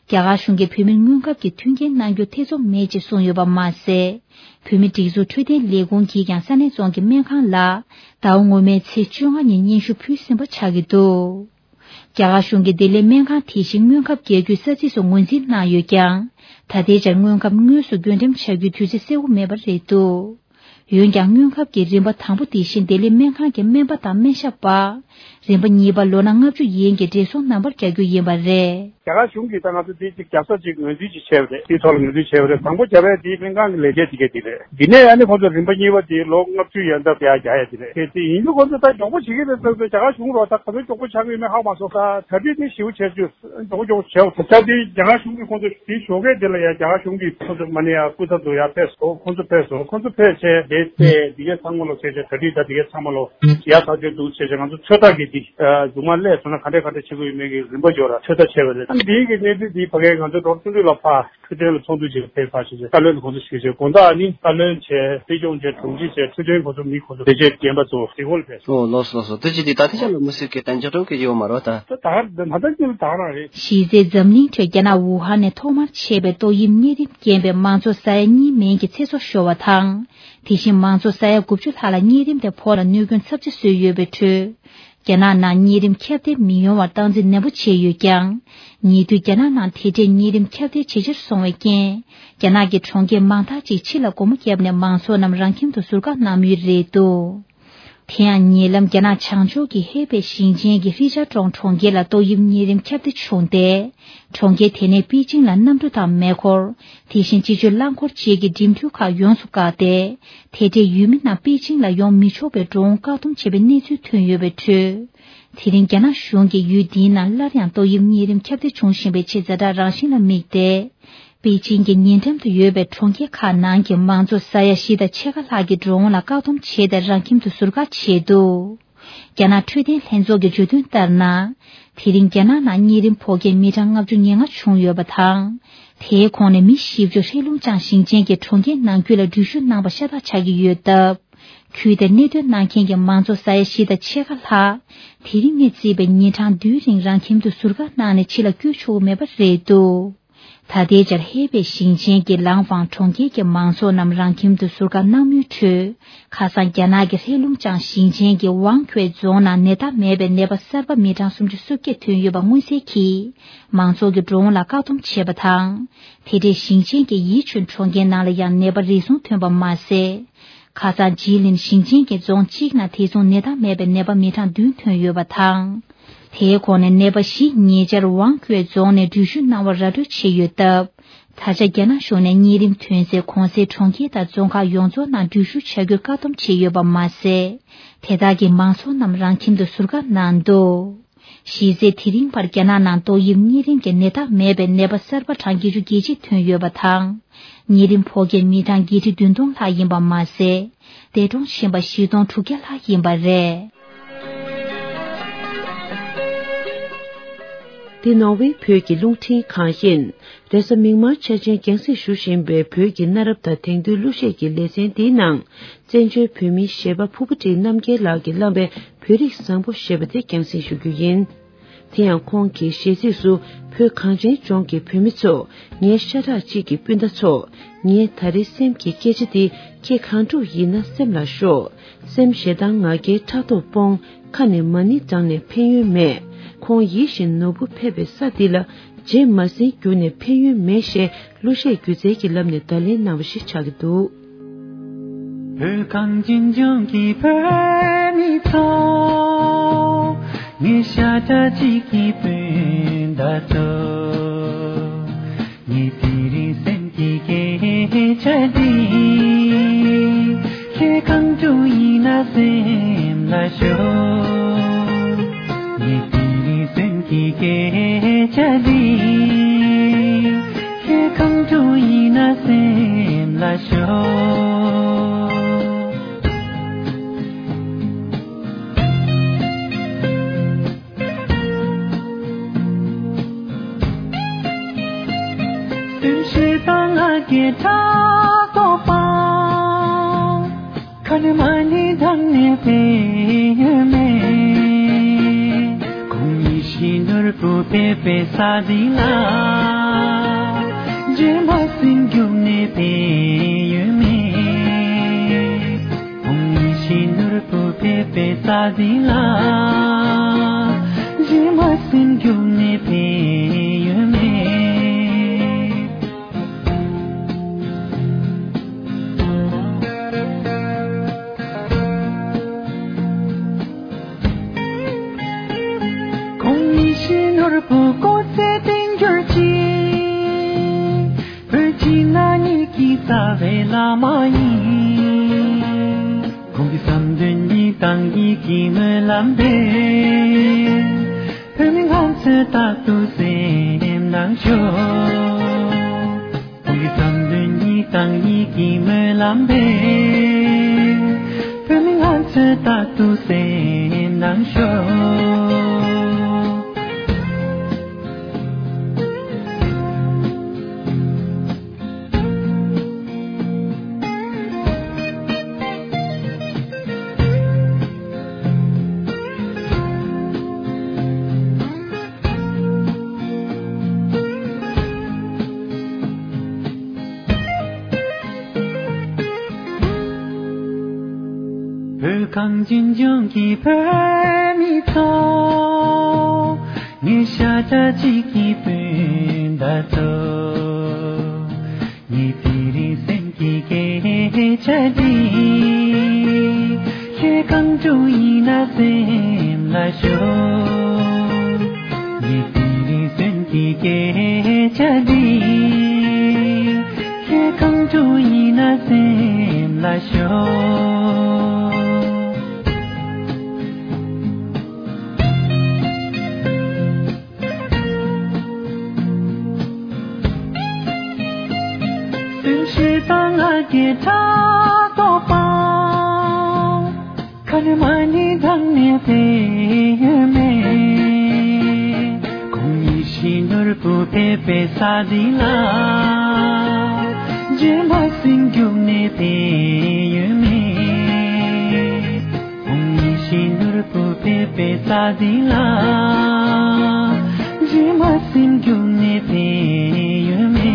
རྒྱ་གར་གཞུང་གིས་བོད་མིར་སྔོན་ཁབ་ཀྱི་མཐུན་རྐྱེན་གནང་རྒྱུ་ཐེ་ཚོམ་མེད་ཅེས་གསུངས་ཡོད་པ་མ་ཟད། བོད་མི་སྒྲིག་འཛུགས་འཕྲོད་བསྟེན་ལས་ཁུངས་ཀྱིས་ཀྱང་ས་གནས་རྫོང་གི་སྨན་ཁང་ལ་ཟླ་བ་སྔོན་མའི་ཚེས་བཅོ་ལྔ་ཉིན་སྙན་ཞུ་ཕུལ་ཟིན་པ་ཆགས་ཀྱི་འདུག། རྒྱ་གར་གཞུང་གིས་ལྡི་ལིའི་སྨན་ཁང་དེ་བཞིན་སྔོན་ཁབ་རྒྱག་རྒྱུའི་ས་ཚིགས་སུ་ངོས་འཛིན་གནང་ཡོད་ཀྱང་། ད་ལྟའི་ཆར་སྔོན་ཁབ་དངོས་སུ་བགོ་འགྲེམས་བྱ་རྒྱུའི་དུས་ཚོད་གསལ་པོ་མེད་པ་རེད་འདུག། འོན་ཀྱང་སྔོན་ཁབ་ཀྱི་རིམ་པ་དང་པོ་དེ་བཞིན་ལྡི་ལི་སྨན་ཁང་གི་སྨན་པ་དང་སྨན་ཞབས་པ། རིམ་པ་གཉིས་པ་ལོ་ན་ལྔ་བཅུ་ཡན་གྱི་བགྲེས་སོང་རྣམ་པར་རྒྱག་རྒྱུ་ཡིན་པ་རེད། རྒྱ་གར་གཞུང་གིས་ད་ང་ཚོ་འདི་གཅིག་རྒྱག་ས་གཅིག་ངོས་འཛིན་གཅིག་བྱས་པ་རེད། དེའི་ཐོག་ལ་ངོས་འཛིན་བྱས་པ་རེད། དང་པོ་བརྒྱབ་པའི་དེའི་སྨན་ཁང་གི་ལས་བྱེད་དེ་གས་དེ་རེད། འདི་ནས་ཨ་ནི་ཁོང་ཚོ་རིམ་པ་གཉིས་པ་དེ་ལོ་ལྔ་བཅུ་ཡན་འདབ་ཡར་རྒྱག་ཡ་དེ་རེད། དེ་དེ་ཡིན་དུས་ཁོང་ཚོ་ད་མགྱོགས་པོ་བྱེད་ཀྱི་རེད་ཟེར་ཚོ་རྒྱ་གར་གཞུང་རོགས་ད་ག་ཚོད་མགྱོགས་པོ་ཆགས་ཀྱི་ཡོད་མེད་ཧ་མ་སོང་། ད་གྲ་སྒྲིག་དེ་ཞེ་པོ་བྱས་རྒྱུ་མགྱོགས་པོ་མགྱོགས་པོ་བྱས་པ་ད་ཆ་དེ་རྒྱ་གར་གཞུང་གིས་ཁོང་ཚོ་དེ་ཞོགས་ཀས་དེ་ལ་ཡ་རྒྱ་གར་གཞུང་གིས་ཁོང་ཚོ་མ་ནི་ཡ་སྐུ་ཚབ་ཚོ་ཡར་ཕེབས་སོང་། ཁོང་ཚོ་ཕེབས་སོང་། ཁོང་ཚོ་ཕེབས་བྱས་དེ་དེ་འདི་གས་ཚང་མ་ལོ་བྱས་བྱས་གྲ་སྒྲིག་ད་འདི་གས་ཚང་མ་ལོ་ཡར་ཚར་གྱི་འདུག་བྱས་བྱས་ང་ཚོ་ཚོད་ལྟ་གི་འདི་མཇུག་མ་སླེབས་སོང་ན་ག་འདྲས་ག་འདྲས་བྱེད་དགོས་ཡོད་མེད་ཀྱི་རིམ་པ་འཇོག་ར་ཚོད་ལྟ་བྱས་པ་རེད། ཨ་ནི་འདིའི་གི་གནས་ཚུལ་འདི་ཕ་གའི་ང་ཚོ་ཌོག་ཊར་བསོད་ནམས་ལགས་ཕར་འཕྲོད་བསྟེན་ལ་ཚོགས་འདུ་ཞིག་ལ་ཕེབས་པ་ཞིག་བྱས། བཀའ་བློན་ལ་ཁོང་ཚོ་ཞིག་བྱས། དགོང་དག་ཨ་ནི་བཀའ་བློན་བྱས། སྲིད་སྐྱོང་བྱས། དྲུང་ཆེ་བྱས། འཕྲོད་བསྟེན་ཁོང་ཚོ་མི་ཁོང་ཚོ་ལས་བྱེད་རྒན་པ་ཚོ་དེ་སྐོར་ལ་ཕེབས། ཨོ་ལགས་སོ་ལགས་སོ། དེ་ཅི་དེ་ད་ཐེངས་ལ་མི་སྲིད་ཀྱི་དན་ཆ་གྲོང་གི་ཡོད་མ་རོ་ད། ད་ད་ད་ད་ཉིན་ད་རང་རེད། གཞི་རྩའི་འཛམ་གླིང་ཁྲོད་རྒྱ་ནག་ཝུ་ཧན་ནས་ཐོག་མར་མཆེད་པའི་ཏོག་དབྱིབས་གཉན་རིམས་རྐྱེན་པས་མང་ཚོགས་ས་ཡ་གཉིས་མན་གྱི་ཚེ་སྲོག་ཤོར་བ་དང་། དེ་བཞིན་མང་ཚོགས་ས་ཡ་དགུ་བཅུ་ལྷག་ལ་གཉན་རིམས་དེ་ཕོག་ལ་གནོད་སྐྱོན་ཚབས་ཆེ་བཟོས་ཡོད་པའི་ཁྲོད། རྒྱ་ནག་ནང་གཉན་རིམས་ཁྱབ་གདལ་མི་ཡོང་བར་སྟངས་འཛིན་ནན་པོ་བྱས་ཡོད་ཀྱང་། ཉེ་དུས་རྒྱ་ནག་ནང་དེ་འདྲའི་གཉན་རིམས་ཁྱབ་གདལ་ཇེ་ཆེར་སོང་བའི་རྐྱེན། རྒྱ་ནག་གི་གྲོང་ཁྱེར་མང་དག་ཅིག་ཕྱི་ལ་སྒོ་མོ་བརྒྱབ་ནས་མང་ཚོགས་རྣམས་རང་ཁྱིམ་དུ་ཟུར་བཀག་གནང་མུས་རེད་འདུག། དེ་ཡང་ཉེ་ལམ་རྒྱ་ནག་བྱང་ཕྱོགས་ཀྱི་ཧེ་པེ་ཞིང་ཆེན་གྱི་ཧྲི་ཅཱ་ཀྲོང་གྲོང་ཁྱེར་ལ་ཏོག་དབྱིབས་གཉན་རིམས་ཁྱབ་གདལ་བྱུང་སྟེ། གྲོང་ཁྱེར་དེ་ནས་པེ་ཅིང་ལ་གནམ་གྲུ་དང་མེ་འཁོར། དེ་བཞིན་སྤྱི་སྤྱོད་རླངས་འཁོར་བཅས་ཀྱི་འགྲིམ་འགྲུལ་ཁག་ཡོངས་སུ་བཀག་སྟེ། དེ་འདྲའི་ཡུལ་མི་རྣམས་པེ་ཅིང་ལ་ཡོང་མི་ཆོག་པའི་འགྲོ་འོང་བཀག་སྡོམ་བྱས་པའི་གནས་ཚུལ་ཐོན་ཡོད་པའི་ཁྲོད། དེ་རིང་རྒྱ་ནག་གཞུང་གིས་ཡུལ་འདིའི་ནང་སླར་ཡང་ཏོག་དབྱིབས་གཉན་རིམས་ཁྱབ་གདལ་འབྱུང་བཞིན་པའི་ཆེས་ཛ་དྲག་རང་བཞིན་ལ་དམིགས་ཏེ། པེ་ཅིང་གི་ཉེ་འགྲམ་དུ་ཡོད་པའི་གྲོང་ཁྱེར་ཁག་ནང་གི་མང་ཚོགས་ས་ཡ་བཞི་དང་ཕྱེད་ཀ་ལྷག་གི་འགྲོ་འོང་ལ་བཀག་སྡོམ་བྱས་ཏེ་རང་ཁྱིམ་དུ་ཟུར་བཀག་བྱས་འདུག། རྒྱ་ནག་འཕྲོད་བསྟེན་ལྷན་ཚོགས་ཀྱིས་བརྗོད་དོན་ལྟར་ན། དེ་རིང་རྒྱ་ནག་ནང་གཉན་རིམས་ཕོག་མཁན་མི་གྲངས་ལྔ་བཅུ་ང་ལྔ་བྱུང་ཡོད་པ་དང་། དེའི་ཁོངས་ནས་མི་བཞི་བཅུ་ཧེ་ལུང་ཅང་ཞིང་ཆེན་གྱི་གྲོང་ཁྱེར་ནང་ཁུལ་ལ་འགྲུལ་བཞུད་གནང་བ་ཤ་སྟག་ཆགས་ཀྱི་ཡོད་སྟབས། ཁུལ་དེར་གནས་སྡོད་གནང་མཁན་གྱི་མང་ཚོགས་ས་ཡ་བཞི་དང་ཕྱེད་ཀ་ལྷག་དེ་རིང་ནས་བརྩིས་པའི་ཉིན་གྲངས་བདུན་རིང་རང་ཁྱིམ་དུ་ཟུར་བཀག་གནང་ནས་ཕྱི་ལ་བསྐྱོད་ཆོག་གི་མེད་པ་རེད་འདུག། ད་ལྟའི་ཆར་ཧེ་པེ་ཞིང་ཆེན་གྱི་ལང་ཧྥང་གྲོང་ཁྱེར་གྱི་མང་ཚོགས་རྣམས་རང་ཁྱིམ་དུ་ཟུར་བཀག་གནང་མུས་ཁྲོད། ཁ་སང་རྒྱ་ནག་གི་ཧེ་ལུང་ཅང་ཞིང་ཆེན་གྱི་ཝང་ཁུའེ་རྫོང་ནང་ནད་རྟགས་མེད་པའི་ནད་པ་གསར་པ་མི་གྲངས་སུམ་ཅུ་སོ་བརྒྱད་ཐོན་ཡོད་པ་མངོན་གསལ་གྱིས། མང་ཚོགས་ཀྱི་འགྲོ་འོང་ལ་བཀག་སྡོམ་བྱས་པ་དང་། དེ་འདྲའི་ཞིང་ཆེན་གྱི་ཡི་ཆུན་གྲོང་ཁྱེར་ནང་ལ་ཡང་ནད་པ་རེ་ཟུང་ཐོན་པ་མ་ཟད། ཁ་སང་ཇི་ལིན་ཞིང་ཆེན་གྱི་རྫོང་གཅིག་ནང་དེ་མཚུངས་ནད་རྟགས་མེད་པའི་ནད་པ་མི་གྲངས་བདུན་ཐོན་ཡོད་པ་དང་། དེའི་འོག་ནས་ནད་པ་བཞི་ཉེ་ཆར་ཝང་ཁུའེ་རྫོང་ནས་འགྲུལ་བཞུད་གནང་བར་ར་སྤྲོད་བྱས་ཡོད་སྟབས། ད་ཆ་རྒྱ་ནག་གཞུང་ནས་གཉན་རིམས་ཐོན་སའི་གོང་གསལ་གྲོང་ཁྱེར་དང་རྫོང་ཁག་ཡོངས་རྫོགས་ནང་འགྲུལ་བཞུད་བྱ་རྒྱུར་བཀག་སྡོམ་བྱས་ཡོད་པ་མ་ཟད། དེ་དག་གི་མང་ཚོགས་རྣམས་རང་ཁྱིམ་དུ་ཟུར་བཀག་གནང་འདུག་གཞི་རྩའི་དེ་རིང་བར་རྒྱ་ནག་ནང་ཏོག་དབྱིབས་གཉན་རིམས་ཀྱི་ནད་རྟགས་མེད་པའི་ནད་པ་གསར་པ་གྲངས་བརྒྱད་ཅུ་གྱ་གཅིག་ཐོན་ཡོད་པ་དང་། གཉན་རིམས་ཕོག་མཁན་མི་གྲངས་བརྒྱད་ཁྲི་བདུན་སྟོང་ལྷག་ཡིན་པ་མ་ཟད། འདས་གྲོངས་ཕྱིན་པ་བཞི་སྟོང་དྲུག་བརྒྱ་ལྷག་ཡིན་པ་རེད། འདི་ནོར་ཝེ་བོད་ཀྱི་རླུང་འཕྲིན་ཁང་ཡིན། རེས་གཟའ་མིག་དམར་འཆར་ཅན་རྒྱང་སྲིང་ཞུ་བཞིན་པའི་བོད་ཀྱི་གནའ་རབས་དང་དེང་དུས་གླུ་གཞས་ཀྱི་ལེ་ཚན་འདིའི་ནང་། བཙན་བྱོལ་བོད་མིའི་གཞས་པ་ཕུར་བུ་ཁྲིད་རྣམ་རྒྱལ་ལགས་ཀྱིས་བླངས་པའི་བོད་རིགས་བཟང་པོ་ཞེས་པ་དེ་རྒྱང་སྲིང་ཞུ་རྒྱུ་ཡིན། དེ་ཡང་ཁོང་གི་གཞས་ཚིག་སུ། བོད་གངས་ཅན་ལྗོངས་ཀྱི་བུད་མེད་ཚོ། ངའི་ཤ་ཁྲག་གཅིག་གི་སྤུན་ཟླ་ཚོ། ངའི་ད་རེས་སེམས་ཀྱི་སྐད་ཆ་འདི། ཁྱེད་གང་འདྲ་ཡིན་ན་སེམས་ལ་ཤོག་སེམས་ཞེ་སྡང་ང་རྒྱལ་ཕྲག་དོག་སྤོང་། ཁ་ནས་མ་ཎི་བགྲངས་ནས་ཕན་ཡོན་མེད། ཁོང་ཡིད་བཞིན་ནོར་བུ་ཕེབས་པའི་ས་འདི་ལ། རྗེས་མ་ཟིན་རྒྱུགས་ནས་ཕན་ཡོན་མེད་ཞེས་གླུ་གཞས་སྒྱུ་རྩལ་གྱི་ལམ་ནས་བརྡ་ལན་གནང་བ་ཞིག་ཆགས་ཀྱི་འདུག་བོད་གངས་ཅན་ལྗོངས་ཀྱི་བོད་མི་ཚོ། ངའི་ཤ་ཁྲག་གཅིག་གི་སྤུན་ཟླ་ཚོ། ངའི་དེ་རིང་སེམས་ཀྱི་སྐད་ཆ་འདི། ཁྱེད་གང་དུ་ཡིན་ན་སེམས་ལ་ཤོག་ངའི་དེ་རིང་སེམས་ཀྱི་སྐད་ཆ་འདི། ཁྱེད་གང་དུ་ཡིན་ན་སེམས་ལ་ཤོག་སེམས་ཤེས་དང་ང་རྒྱལ་ཕྲག་དོག་པ། ཁ་ནས་མ་ཎི་བགྲངས་ནས་ཕན་ཡོན་མེད། ཁོང་ཡིད་བཞིན་ནོར་བུ་ཕེབས་པའི་ས་འདི་ལ། རྗེས་མ་སེམས་རྒྱུག་ནས་ཕན་ཡོན་མེད། ཁོང་ཡིད་བཞིན་ནོར་བུ་ཕེབས་པའི་ས་འདི་ལ། རྗེས་མ་སེམས་རྒྱུག་ནས་ཕན་ཡོན་མེད། ཁོང་ཉིད་ཤི་ནོར་བུ་སྐུ་ཚེ་བརྟན་གྱུར་ཅིག་བོད་ཀྱི་ན་ནིང་གི་རྩ་བའི་བླ་མ་ཡིན། ཁོང་གི་བསམ་དོན་གཉིས་དང་ཡིད་ཀྱི་སྨོན་ལམ་དེ། བོད་མི་ང་ཚོའི་རྟག་ཏུ་སེམས་ནང་ཤོག་ཁོང་གི་བསམ་དོན་གཉིས་དང་ཡིད་ཀྱི་སྨོན་ལམ་དེ། བོད་མི་ང་ཚོའི་རྟག་ཏུ་སེམས་ནང་ཤོག་བོད་གངས་ཅན་ལྗོངས་ཀྱི་བོད་མི་ཚོ། ངའི་ཤ་ཁྲག་གཅིག་གི་སྤུན་ཟླ་ཚོ། ངའི་དེ་རིང་སེམས་ཀྱི་སྐད་ཆ་འདི། ཁྱེད་གང་དུ་ཡིན་ན་སེམས་ལ་ཤོག་ངའི་དེ་རིང་སེམས་ཀྱི་སྐད་ཆ་འདི། ཁྱེད་གང་དུ་ཡིན་ན་སེམས་ལ་ཤོག་སེམས་ཤེས་དང་ང་རྒྱལ་ཕྲག་དོག་པ། ཁ་ནས་མ་ཎི་བགྲངས་ནས་ཕན་ཡོན་མེད། ཁོང་ཡིད་བཞིན་ནོར་བུ་ཕེབས་པའི་ས་འདི་ལ། རྗེས་མ་སེམས་རྒྱུག་ནས་ཕན་ཡོན་མེད། ཁོང་ཡིད་བཞིན་ནོར་བུ་ཕེབས་པའི་ས་འདི་ལ། རྗེས་མ་སེམས་རྒྱུག་ནས་ཕན་ཡོན་མེད།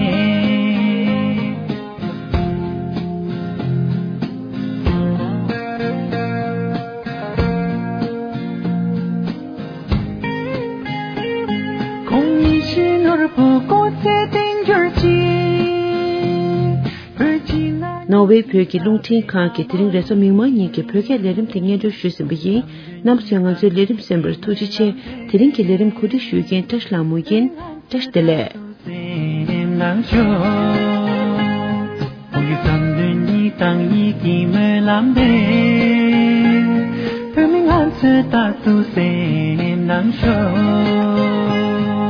ནོར་ཝེ་བོད་ཀྱི་རླུང་འཕྲིན་ཁང་གིས་དེ་རིང་རེས་གཟའ་མིག་དམར་ཉིན་གྱི་བོད་སྐད་ལས་རིམ་དེ་སྙན་སྒྲོན་ཞུས་ཟིན་པ་ཡིན། རྣམ་པ་ཚོས་ང་ཚོའི་ལས་རིམ་གསན་པར་ཐུགས་རྗེ་ཆེ། དེ་རིང་གི་ལས་རིམ་གོ་སྒྲིག་ཞུ་མཁན་བཀྲ་ཤིས་ལྷ་མོ་ཡིན། བཀྲ་ཤིས་བདེ་ལེགས། སེམས་ནང་ཤོག་བོད་ཀྱི་བསམ་དོན་གཉིས་དང་ཡིད་ཀྱི་སྨོན་ལམ་དེ། བོད་མི་ང་ཚོས་རྟག་ཏུ་སེམས་ནང་ཤོག